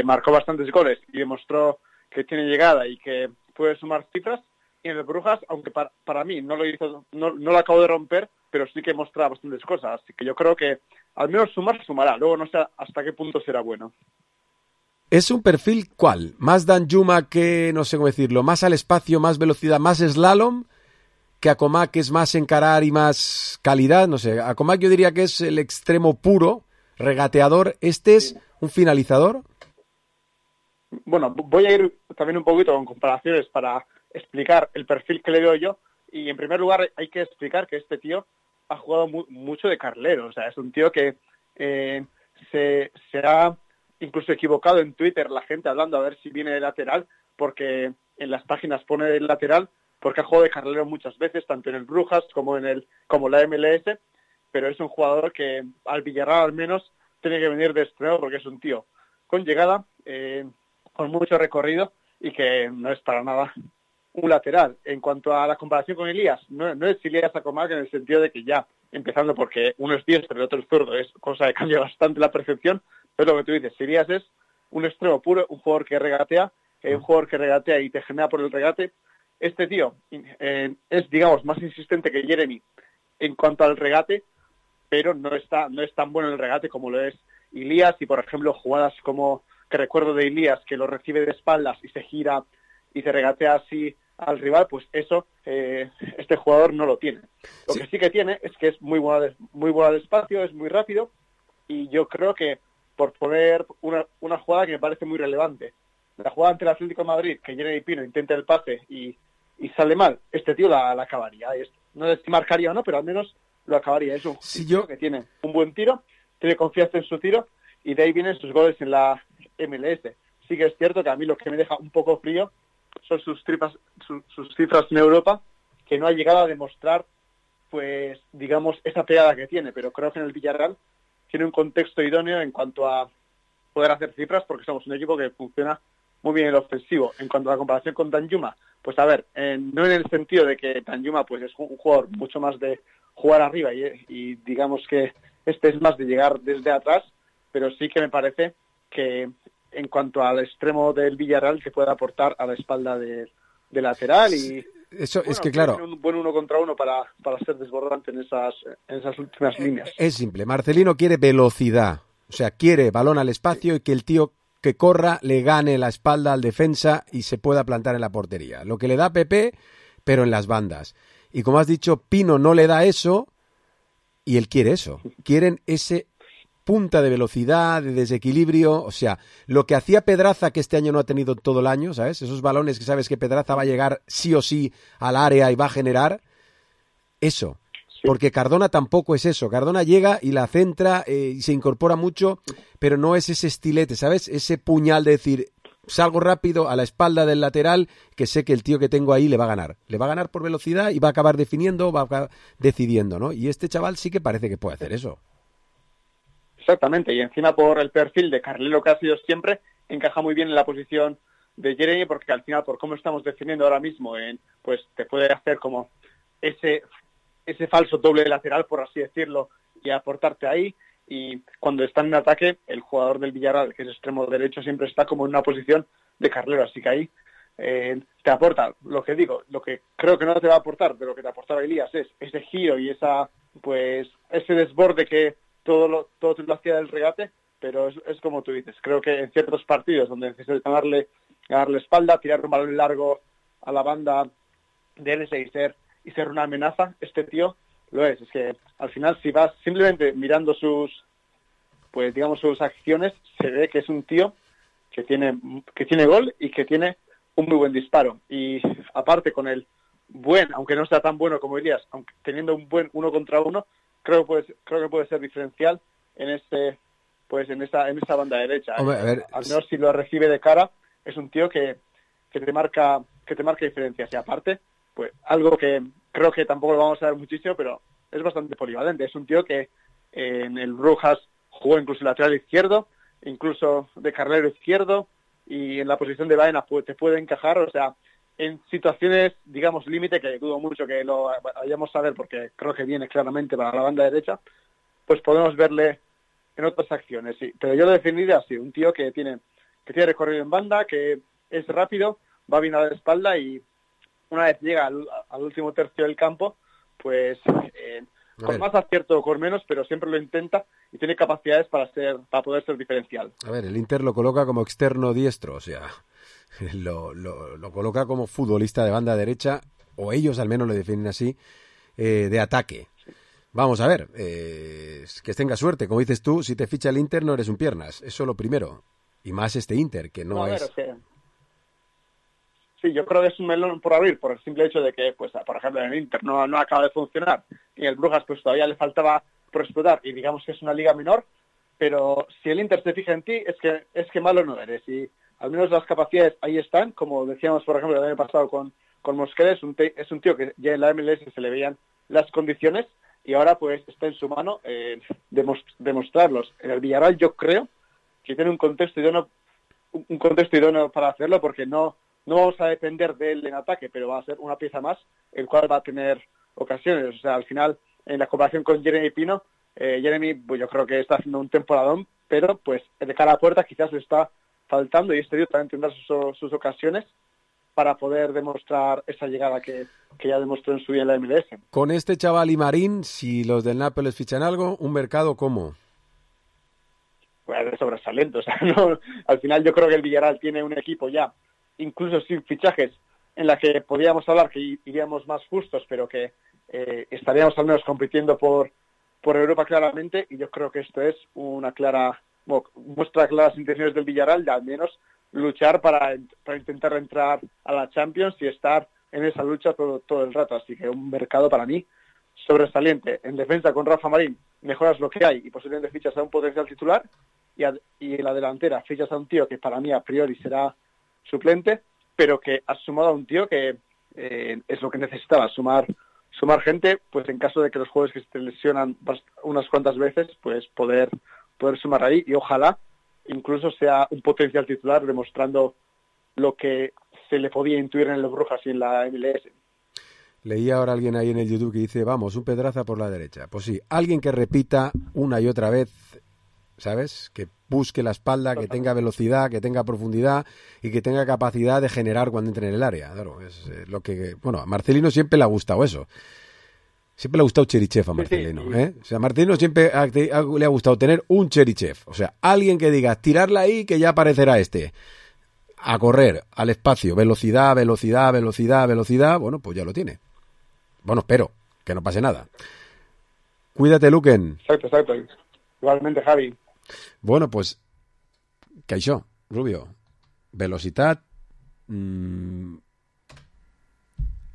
marcó bastantes goles y demostró que tiene llegada y que puede sumar cifras. Y en el Brujas, aunque para mí no lo acabo de romper, pero sí que muestra bastantes cosas. Así que yo creo que al menos sumará. Luego no sé hasta qué punto será bueno. ¿Es un perfil cuál? ¿Más Danjuma que, no sé cómo decirlo, más al espacio, más velocidad, más slalom? ¿Que Acomac que es más encarar y más calidad? No sé, Acomac yo diría que es el extremo puro, regateador. ¿Este es un finalizador? Bueno, voy a ir también un poquito con comparaciones para explicar el perfil que le veo yo. Y en primer lugar hay que explicar que este tío ha jugado mucho de carrilero. O sea, es un tío que se ha incluso equivocado en Twitter la gente hablando a ver si viene de lateral, porque en las páginas pone de lateral, porque ha jugado de carrilero muchas veces, tanto en el Brujas como la MLS, pero es un jugador que al Villarreal al menos tiene que venir de extremo porque es un tío con llegada, con mucho recorrido y que no es para nada un lateral. En cuanto a la comparación con Elías, no es Elías Acomac en el sentido de que ya, empezando porque uno es diestro y el otro es zurdo, es cosa que cambia bastante la percepción, pero lo que tú dices, Elías es un extremo puro, un jugador que regatea y te genera por el regate. Este tío es, digamos, más insistente que Jeremy en cuanto al regate, pero no es tan bueno en el regate como lo es Elías. Y, por ejemplo, jugadas como que recuerdo de Elías, que lo recibe de espaldas y se gira y se regatea así al rival, pues eso este jugador no lo tiene. Lo que sí que tiene es que es muy bueno al espacio, es muy rápido, y yo creo que por poner una jugada que me parece muy relevante, la jugada ante el Atlético de Madrid, que Jeremy Pino intenta el pase y sale mal, este tío la acabaría. No sé si marcaría o no, pero al menos lo acabaría. Es un tío que tiene un buen tiro, tiene confianza en su tiro, y de ahí vienen sus goles en la MLS. Sí que es cierto que a mí lo que me deja un poco frío son sus cifras en Europa, que no ha llegado a demostrar, pues, digamos, esa pegada que tiene, pero creo que en el Villarreal tiene un contexto idóneo en cuanto a poder hacer cifras, porque somos un equipo que funciona muy bien en el ofensivo. En cuanto a la comparación con Danjuma, pues a ver, no en el sentido de que Danjuma pues es un jugador mucho más de jugar arriba y digamos que este es más de llegar desde atrás, pero sí que me parece que en cuanto al extremo del Villarreal que puede aportar a la espalda de lateral y eso bueno, es que claro, tiene un buen uno contra uno para ser desbordante en esas últimas líneas. Es simple, Marcelino quiere velocidad, o sea, quiere balón al espacio y que el tío que corra le gane la espalda al defensa y se pueda plantar en la portería. Lo que le da Pepe, pero en las bandas. Y como has dicho, Pino no le da eso y él quiere eso. Quieren ese punta de velocidad, de desequilibrio, o sea, lo que hacía Pedraza, que este año no ha tenido todo el año, ¿sabes? Esos balones que sabes que Pedraza va a llegar sí o sí al área y va a generar eso. Porque Cardona tampoco es eso. Cardona llega y la centra y se incorpora mucho, pero no es ese estilete, ¿sabes? Ese puñal de decir, salgo rápido a la espalda del lateral, que sé que el tío que tengo ahí le va a ganar. Le va a ganar por velocidad y va a acabar definiendo, va a acabar decidiendo, ¿no? Y este chaval sí que parece que puede hacer eso. Exactamente, y encima por el perfil de carrilero que ha sido siempre, encaja muy bien en la posición de Jeremy, porque al final, por cómo estamos defendiendo ahora mismo, pues te puede hacer como ese falso doble lateral, por así decirlo, y aportarte ahí. Y cuando está en ataque, el jugador del Villarreal, que es extremo derecho, siempre está como en una posición de carrilero, así que ahí te aporta, lo que digo, lo que creo que no te va a aportar, pero lo que te aportaba Elías es ese giro y ese desborde que todo lo hacía del regate, pero es como tú dices, creo que en ciertos partidos donde necesitas ganarle espalda, tirar un balón largo a la banda de él y ser una amenaza, este tío lo es. Es que al final, si vas simplemente mirando sus acciones, se ve que es un tío que tiene gol y que tiene un muy buen disparo. Y aparte con el aunque no sea tan bueno como Elías, aunque teniendo un buen uno contra uno, creo que puede ser diferencial en esa banda derecha. Hombre, a ver, al menos si lo recibe de cara, es un tío que te marca diferencias. Y aparte, pues algo que creo que tampoco lo vamos a ver muchísimo, pero es bastante polivalente. Es un tío que en el Brujas jugó incluso lateral izquierdo, incluso de carrilero izquierdo, y en la posición de Baena te puede encajar, o sea, en situaciones, digamos, límite, que dudo mucho que lo vayamos a ver porque creo que viene claramente para la banda derecha, pues podemos verle en otras acciones, sí. Pero yo lo definiría así, un tío que tiene recorrido en banda, que es rápido, va bien a la espalda y una vez llega al último tercio del campo, pues con más acierto o con menos, pero siempre lo intenta y tiene capacidades para poder ser diferencial. A ver, el Inter lo coloca como externo diestro, o sea, lo coloca como futbolista de banda derecha, o ellos al menos lo definen así, de ataque. Vamos a ver, que tenga suerte. Como dices tú, si te ficha el Inter no eres un piernas, eso lo primero. Y más este Inter, que no es... Sí, yo creo que es un melón por abrir, por el simple hecho de que, pues, por ejemplo, en el Inter no acaba de funcionar y el Brujas pues todavía le faltaba por explotar y digamos que es una liga menor, pero si el Inter se fija en ti es que malo no eres y al menos las capacidades ahí están, como decíamos por ejemplo el año pasado con Mosquera, es un tío que ya en la MLS se le veían las condiciones y ahora pues está en su mano demostrarlos. En el Villarreal yo creo que tiene un contexto idóneo para hacerlo porque no vamos a depender de él en ataque, pero va a ser una pieza más, el cual va a tener ocasiones. O sea, al final, en la comparación con Jeremy Pino, Jeremy, pues yo creo que está haciendo un temporadón, pero pues de cara a puerta quizás le está faltando y este tío también tendrá sus ocasiones para poder demostrar esa llegada que ya demostró en su día en la MLS. Con este chaval y Marín, si los del Nápoles fichan algo, ¿un mercado cómo? Pues de sobresaliente. O sea, no, al final yo creo que el Villarreal tiene un equipo ya incluso sin fichajes, en la que podríamos hablar que iríamos más justos, pero que estaríamos al menos compitiendo por Europa claramente, y yo creo que esto es muestra claras intenciones del Villarreal de al menos luchar para intentar entrar a la Champions y estar en esa lucha todo el rato, así que un mercado para mí sobresaliente. En defensa con Rafa Marín mejoras lo que hay y posiblemente fichas a un potencial titular y en la delantera fichas a un tío que para mí a priori será suplente, pero que has sumado a un tío que es lo que necesitaba, sumar gente, pues en caso de que los jugadores que se lesionan unas cuantas veces, pues poder sumar ahí y ojalá incluso sea un potencial titular demostrando lo que se le podía intuir en los Brujas y en la MLS. Leí ahora alguien ahí en el YouTube que dice, vamos, un Pedraza por la derecha. Pues sí, alguien que repita una y otra vez, ¿sabes? Que busque la espalda, que tenga velocidad, que tenga profundidad y que tenga capacidad de generar cuando entre en el área. Claro, es lo que... Bueno, a Marcelino siempre le ha gustado eso. Siempre le ha gustado Cherichev a Marcelino, ¿eh? O sea, a Marcelino siempre le ha gustado tener un Cherichev. O sea, alguien que diga, tirarla ahí que ya aparecerá este. A correr, al espacio, velocidad, velocidad, velocidad, velocidad. Bueno, pues ya lo tiene. Bueno, espero que no pase nada. Cuídate, Luquen. Exacto. Igualmente, Javi. Bueno, pues, ¿qué això, Rubio? Velocitat,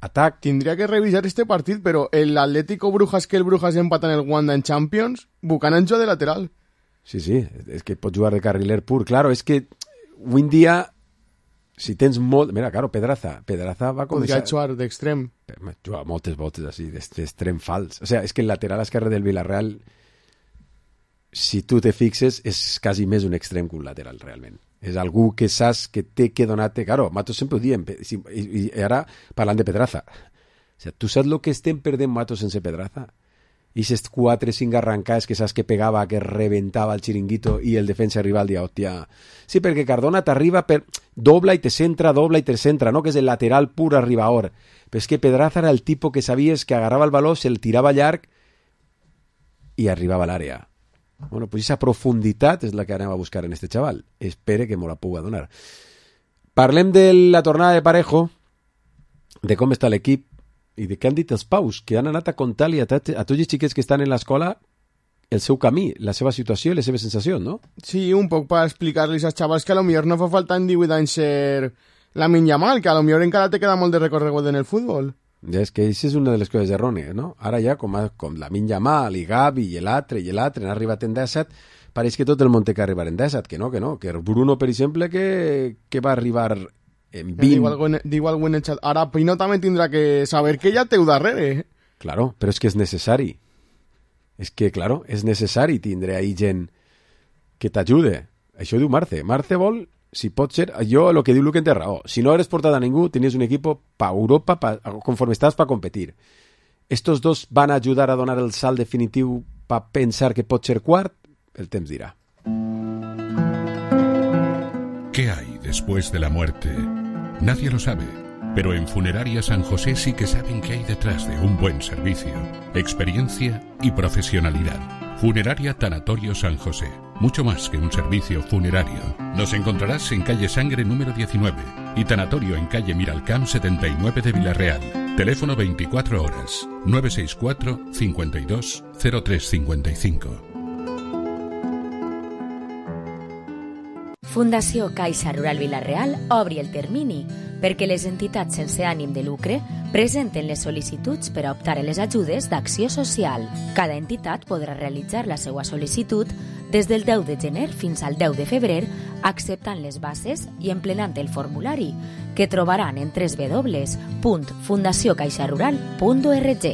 atac... Tindria que revisar este partit, però el Atlético Brujas que el Brujas empata en el Wanda en Champions, Buchanan juga de lateral. Sí, és que pot jugar de carriler pur. Claro, és que avui en dia, si tens molt... Mira, claro, Pedraza va com... Podria jugar d'extrem. Juga moltes voltes així, d'extrem fals. O sea, és que el lateral esquerre del Villarreal... Si tu te fixes, és quasi més un extrem que un lateral, realment. És algú que saps que té que donar-te... Claro, Matos sempre ho diem, i ara parlant de Pedraza. O sea, tu saps el que estem perdent Matos sense Pedraza? I aquests 4-5 arrancades que saps que pegava, que reventava el xiringuito i el defensa rival dia, hòstia... Sí, perquè Cardona t'arriba per... dobla i te centra, no? Que és el lateral pur arribador. Però és que Pedraza era el tipus que sabies que agarrava el baló, se'l tirava llarg i arribava a l'àrea. Bueno, pues esa profunditat és la que anem a buscar en este chaval. Espere que me la puga donar. Parlem de la tornada de Parejo, de com està l'equip i de què han dit els paus, que han anat a contar-li a tots els xiquets que estan en l'escola el seu camí, la seva situació i les seves sensacions, no? Sí, un poc per explicar-los als xavals que a lo millor no fa falta en 18 anys ser Lamine Yamal, que a lo millor encara te queda molt de recorregut en el futbol. Ja és que això és una de les coses errònies, no? Ara ja, com Lamine Yamal i Gavi i l'altre han arribat en 17, pareix que tot el món té que arribar en 17, que no, que Bruno, per exemple, que va arribar Digo algo en el chat. Ara Pino també tindrà que saber que ja teu darrere. Claro, però és que és necessari. És que, claro, és necessari tindre ahí gent que t'ajude. Això diu Marce. Marce vol, si pot ser, jo el que diu Luque en té raó. Si no eres portat a ningú, tenies un equipo pa Europa, conforme estàs pa competir. Estos dos van a ayudar a donar el salt definitiu pa pensar que pot ser quart? El temps dirà. ¿Qué hay después de la muerte? Nadie lo sabe, pero en Funeraria San José sí que saben qué hay detrás de un buen servicio, experiencia y profesionalidad. Funeraria Tanatorio San José, mucho más que un servicio funerario. Nos encontrarás en calle Sangre número 19 y Tanatorio en calle Miralcamp 79 de Villarreal. Teléfono 24 horas, 964 52 0355. Fundació Caixa Rural Vila-real obri el termini perquè les entitats sense ànim de lucre presenten les sol·licituds per a optar a les ajudes d'acció social. Cada entitat podrà realitzar la seva sol·licitud des del 10 de gener fins al 10 de febrer, acceptant les bases i emplenant el formulari, que trobaran en www.fundaciocaixarural.org.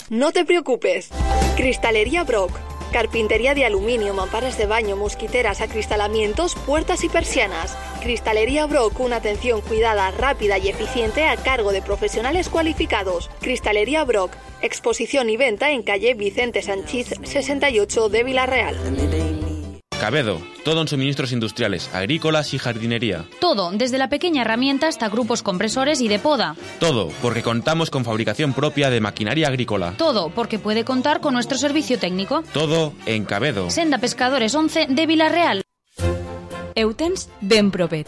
No te preocupes. Cristalería Brock. Carpintería de aluminio, mamparas de baño, mosquiteras, acristalamientos, puertas y persianas. Cristalería Brock, una atención cuidada, rápida y eficiente a cargo de profesionales cualificados. Cristalería Brock, exposición y venta en calle Vicente Sanchís 68 de Villarreal. Cabedo, todo en suministros industriales, agrícolas y jardinería. Todo, desde la pequeña herramienta hasta grupos compresores y de poda. Todo, porque contamos con fabricación propia de maquinaria agrícola. Todo, porque puede contar con nuestro servicio técnico. Todo en Cabedo. Senda Pescadores 11 de Villarreal. Ho tens ben propet.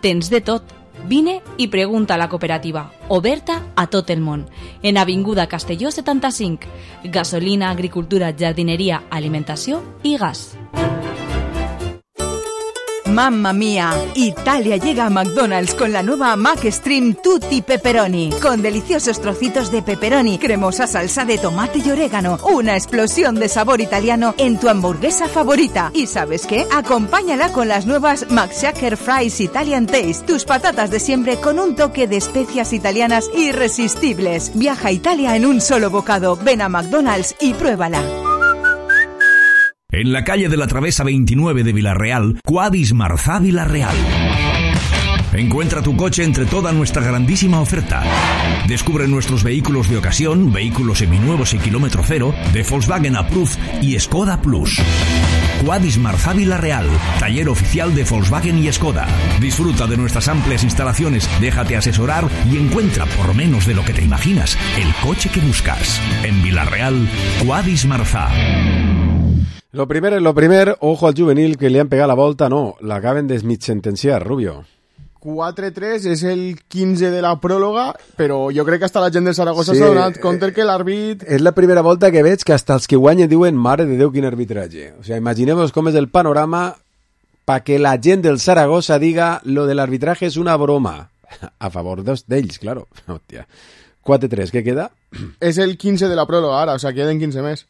Tens de tot. Vine i pregunta a la cooperativa, oberta a tot el món, en Avinguda Castelló 75. Gasolina, agricultura, jardineria, alimentació i gas. ¡Mamma mía! Italia llega a McDonald's con la nueva McStream Tutti Pepperoni, con deliciosos trocitos de pepperoni, cremosa salsa de tomate y orégano, una explosión de sabor italiano en tu hamburguesa favorita. ¿Y sabes qué? Acompáñala con las nuevas McShaker Fries Italian Taste, tus patatas de siempre con un toque de especias italianas irresistibles. Viaja a Italia en un solo bocado. Ven a McDonald's y pruébala. En la calle de la Travesa 29 de Villarreal, Quadis Marzá Villarreal. Encuentra tu coche entre toda nuestra grandísima oferta. Descubre nuestros vehículos de ocasión, vehículos seminuevos y kilómetro cero, de Volkswagen Approved y Skoda Plus. Quadis Marzá Villarreal, taller oficial de Volkswagen y Skoda. Disfruta de nuestras amplias instalaciones, déjate asesorar y encuentra, por menos de lo que te imaginas, el coche que buscas. En Villarreal, Quadis Marzá. Lo primer, ojo al juvenil que li han pegat la volta, no, l'acaben de sentenciar, Rubio. 4-3 és el 15 de la pròloga, però jo crec que hasta la gent del Saragossa s'ha donat compte que l'àrbit... És la primera volta que veig que hasta els que guanyen diuen mare de Déu quin arbitratge. O sea, imaginemos com és el panorama pa que la gent del Saragossa diga lo de l'arbitraje és una broma. A favor d'ells, claro. Hòstia. 4-3, què queda? És el 15 de la pròloga ara, o sea, queden 15 més.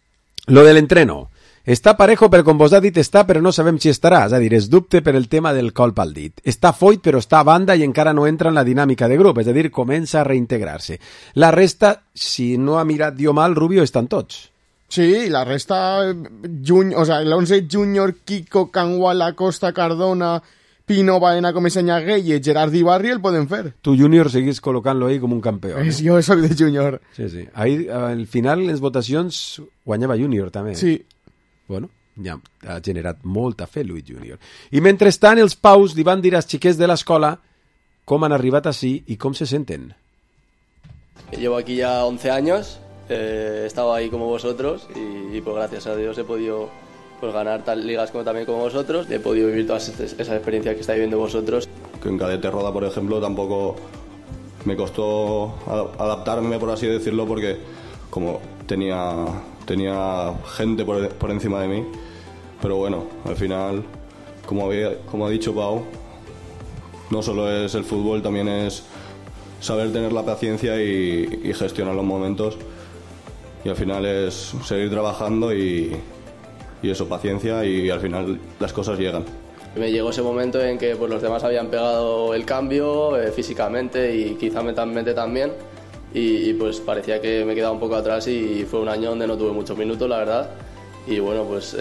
Lo del entreno. Està parejo, però com vos ha dit està, però no sabem si estarà. És a dir, es dubte per el tema del colp al dit. Està foit, però està a banda i encara no entra en la dinàmica de grup. És a dir, comença a reintegrar-se. La resta, si no ha mirat jo mal, Rubio, estan tots. Sí, la resta, o sea, l'11 Júnior, Kiko, Canguala, Costa, Cardona, Pino, Baena, Comesaña, Gueye, Gerard i Barri el poden fer. Tu, Júnior, seguís col·locant-lo ahí com un campió. Jo soc de Júnior. Sí, sí. Ahí, al final, les votacions guanyava Júnior, també. Sí. Bueno, ja ha generat molta fe Luis Júnior. I mentrestant els paus li van dir als xiquets de l'escola com han arribat així i com se senten. Llevo aquí ya 11 años, he estado ahí como vosotros y pues gracias a Dios he podido pues ganar tal ligas como también como vosotros, he podido vivir todas esas experiencias que estáis viviendo vosotros. Que en cadete roda, por ejemplo, tampoco me costó adaptarme, por así decirlo, porque como tenía gente por encima de mí, pero bueno, al final, como ha dicho Pau, no solo es el fútbol, también es saber tener la paciencia y gestionar los momentos, y al final es seguir trabajando y eso, paciencia, y al final las cosas llegan. Me llegó ese momento en que pues, los demás habían pegado el cambio físicamente y quizá mentalmente también, y pues parecía que me quedaba un poco atrás, y fue un año donde no tuve muchos minutos, la verdad. Y bueno, pues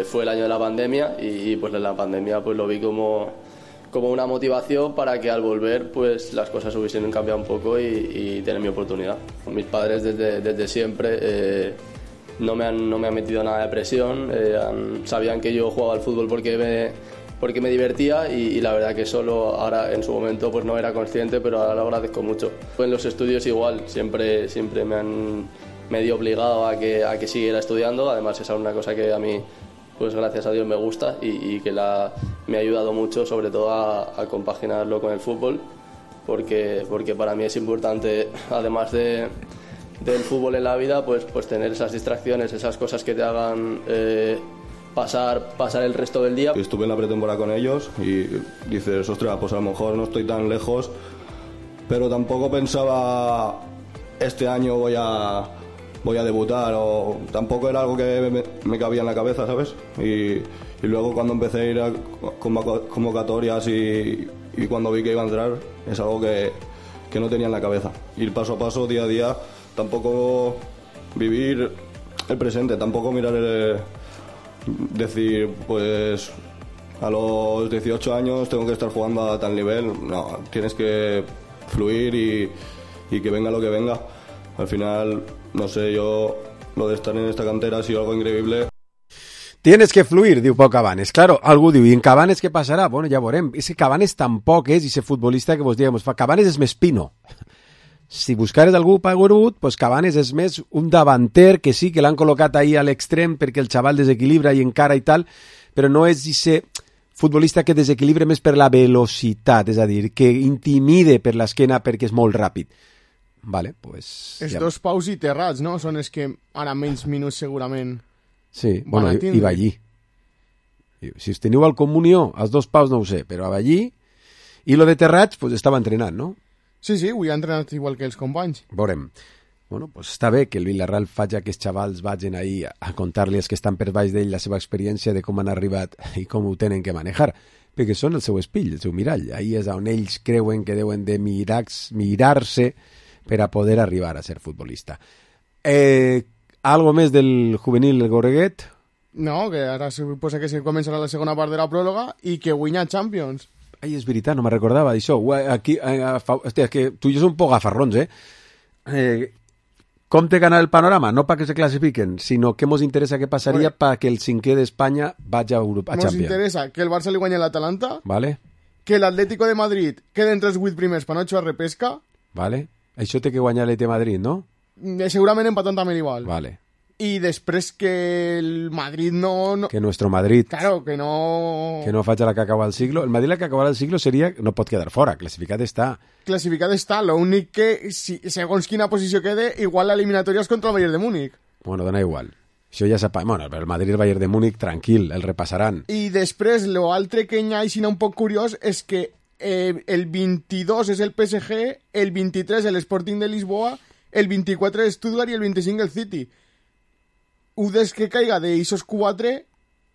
fue el año de la pandemia, y pues en la pandemia pues lo vi como una motivación para que al volver pues las cosas hubiesen cambiado un poco y tener mi oportunidad. Mis padres desde siempre no me han metido nada de presión, sabían que yo jugaba al fútbol porque me divertía, y la verdad que solo ahora en su momento pues no era consciente, pero ahora lo agradezco mucho. En los estudios igual, siempre me han medio obligado a que siguiera estudiando. Además es una cosa que a mí pues gracias a Dios me gusta, y que me ha ayudado mucho, sobre todo a compaginarlo con el fútbol, porque para mí es importante, además del fútbol en la vida, pues tener esas distracciones, esas cosas que te hagan pasar el resto del día. Estuve en la pretemporada con ellos y dices, ostras, pues a lo mejor no estoy tan lejos, pero tampoco pensaba este año voy a debutar, o tampoco era algo que me cabía en la cabeza, ¿sabes? Y luego cuando empecé a ir a convocatorias y cuando vi que iba a entrar, es algo que no tenía en la cabeza. Ir paso a paso, día a día, tampoco vivir el presente, tampoco mirar decir, pues a los 18 años tengo que estar jugando a tal nivel. No, tienes que fluir y que venga lo que venga. Al final, no sé, yo lo de estar en esta cantera ha sido algo increíble. Tienes que fluir, diu Pau Cabanes. Claro, algú diu, i en Cabanes què passarà? Bueno, ja veurem. És que Cabanes tampoc és ese futbolista que vos diguem. Cabanes és més Pino. Si buscares algú paguerut, pues Cabanes és més un davanter que sí, que l'han col·locat ahí a l'extrem perquè el xaval desequilibra i encara i tal, però no és ese futbolista que desequilibra més per la velocitat, és a dir, que intimide per l'esquena perquè és molt ràpid. Vale, pues... Els dos Paus i Terrats, no? Són els que ara menys minuts segurament... Sí, bueno, i Ballí. Si us teniu al Comunió, els dos Paus no ho sé, però a Ballí... I lo de Terrats, pues estava entrenant, no? Sí, avui ha entrenat igual que els companys. Veurem. Bueno, pues està bé que el Villarreal faci que els xavals vagin ahí a contar-li els que estan per baix d'ell la seva experiència de com han arribat i com ho tenen que manejar, perquè són el seu espill, el seu mirall. Ahí és on ells creuen que deuen de mirar-se per a poder arribar a ser futbolista. Algo més del juvenil del Gorreguet? No, que ara suposa que se començarà la segona part de la pròrroga i que guanya Champions. Ai, és veritat, no me recordava d'això. Aquí, hòstia, és que tu i jo som un poc gafarrons, Com té ganar el panorama? No perquè se classifiquen, sinó que ens interessa què passaria perquè el cinquè d'Espanya vagi a Champions. Ens interessa que el Barça li guanyi l'Atalanta, vale. Que l'Atlético de Madrid quede entre els 8 primers per no jugar repesca. Vale. Això té que guanyar l'ET Madrid, no? Segurament empatant també l'igual. Vale. I després que el Madrid no... Que nuestro Madrid... Claro, que no... Que no faci la que acaba el siglo. El Madrid la que acabarà el siglo seria... No pot quedar fora, classificat està. Classificat està, l'únic que, segons quina posició quede, igual l'eliminatòria és contra el Bayern de Múnich. Bueno, dona igual. Això ja sap... Bueno, el Madrid i el Bayern de Múnich, tranquil, el repassaran. I després, l'altre que hi ha així un poc curiós és que el 22 és el PSG, el 23 l'Sporting de Lisboa, el 24 el Stuttgart i el 25 el City. Des que caiga d'eixos 4,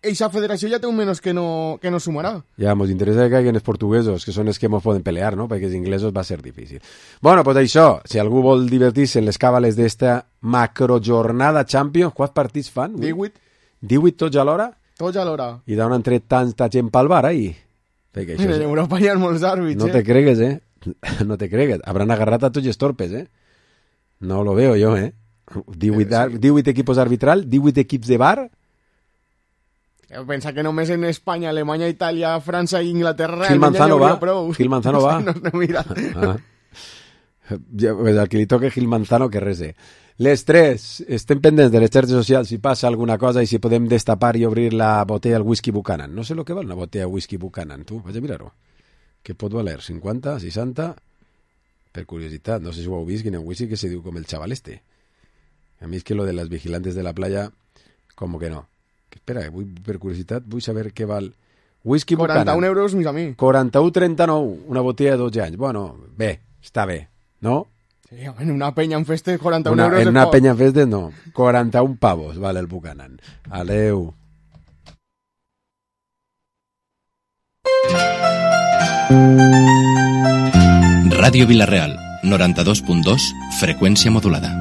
eixa federació ja té un menys que no sumarà. Ja, ens interessa que caiguen els portuguesos, que són els que ens poden pelear, no? Perquè els inglesos va ser difícil. Bueno, pues això, si algú vol divertir-se en les càbales d'esta macrojornada Champions, quants partits fan? 18. 18 tots alhora? Tots alhora. I d'on han tret tanta gent pel bar, ahí? Perquè això en Europa hi ha molts àrbits, no te cregues, No te cregues. Habrán agarrat a tots els torpes, No lo veo yo, 18 equipos arbitral, 18 equips de bar. Pensa que només en Espanya, Alemanya, Itàlia, França i Inglaterra... Gil Manzano va. Gil Manzano va. No, mira. El que li toca Gil Manzano, que res Les 3, estem pendents de les xarxes socials si passa alguna cosa i si podem destapar i obrir la botella del whisky Buchanan. No sé lo que val una botella de whisky Buchanan, tu, vaig a mirar-ho. Què pot valer? 50, 60? Per curiositat, no sé si ho heu vist, quin whisky que se diu com el xaval este. A mi és que lo de las vigilantes de la playa, como que no. Espera, per curiositat, vull saber què val. Whisky Buchanan. 41 euros, mis amics. 41,39, una botella de 12 anys. Bueno, bé, està bé, no? Sí, en una penya en festes, 41 euros. En una penya en festes, no. 41 pavos, vale el Buchanan. Adeu. Ràdio Vila-real, 92.2, freqüència modulada.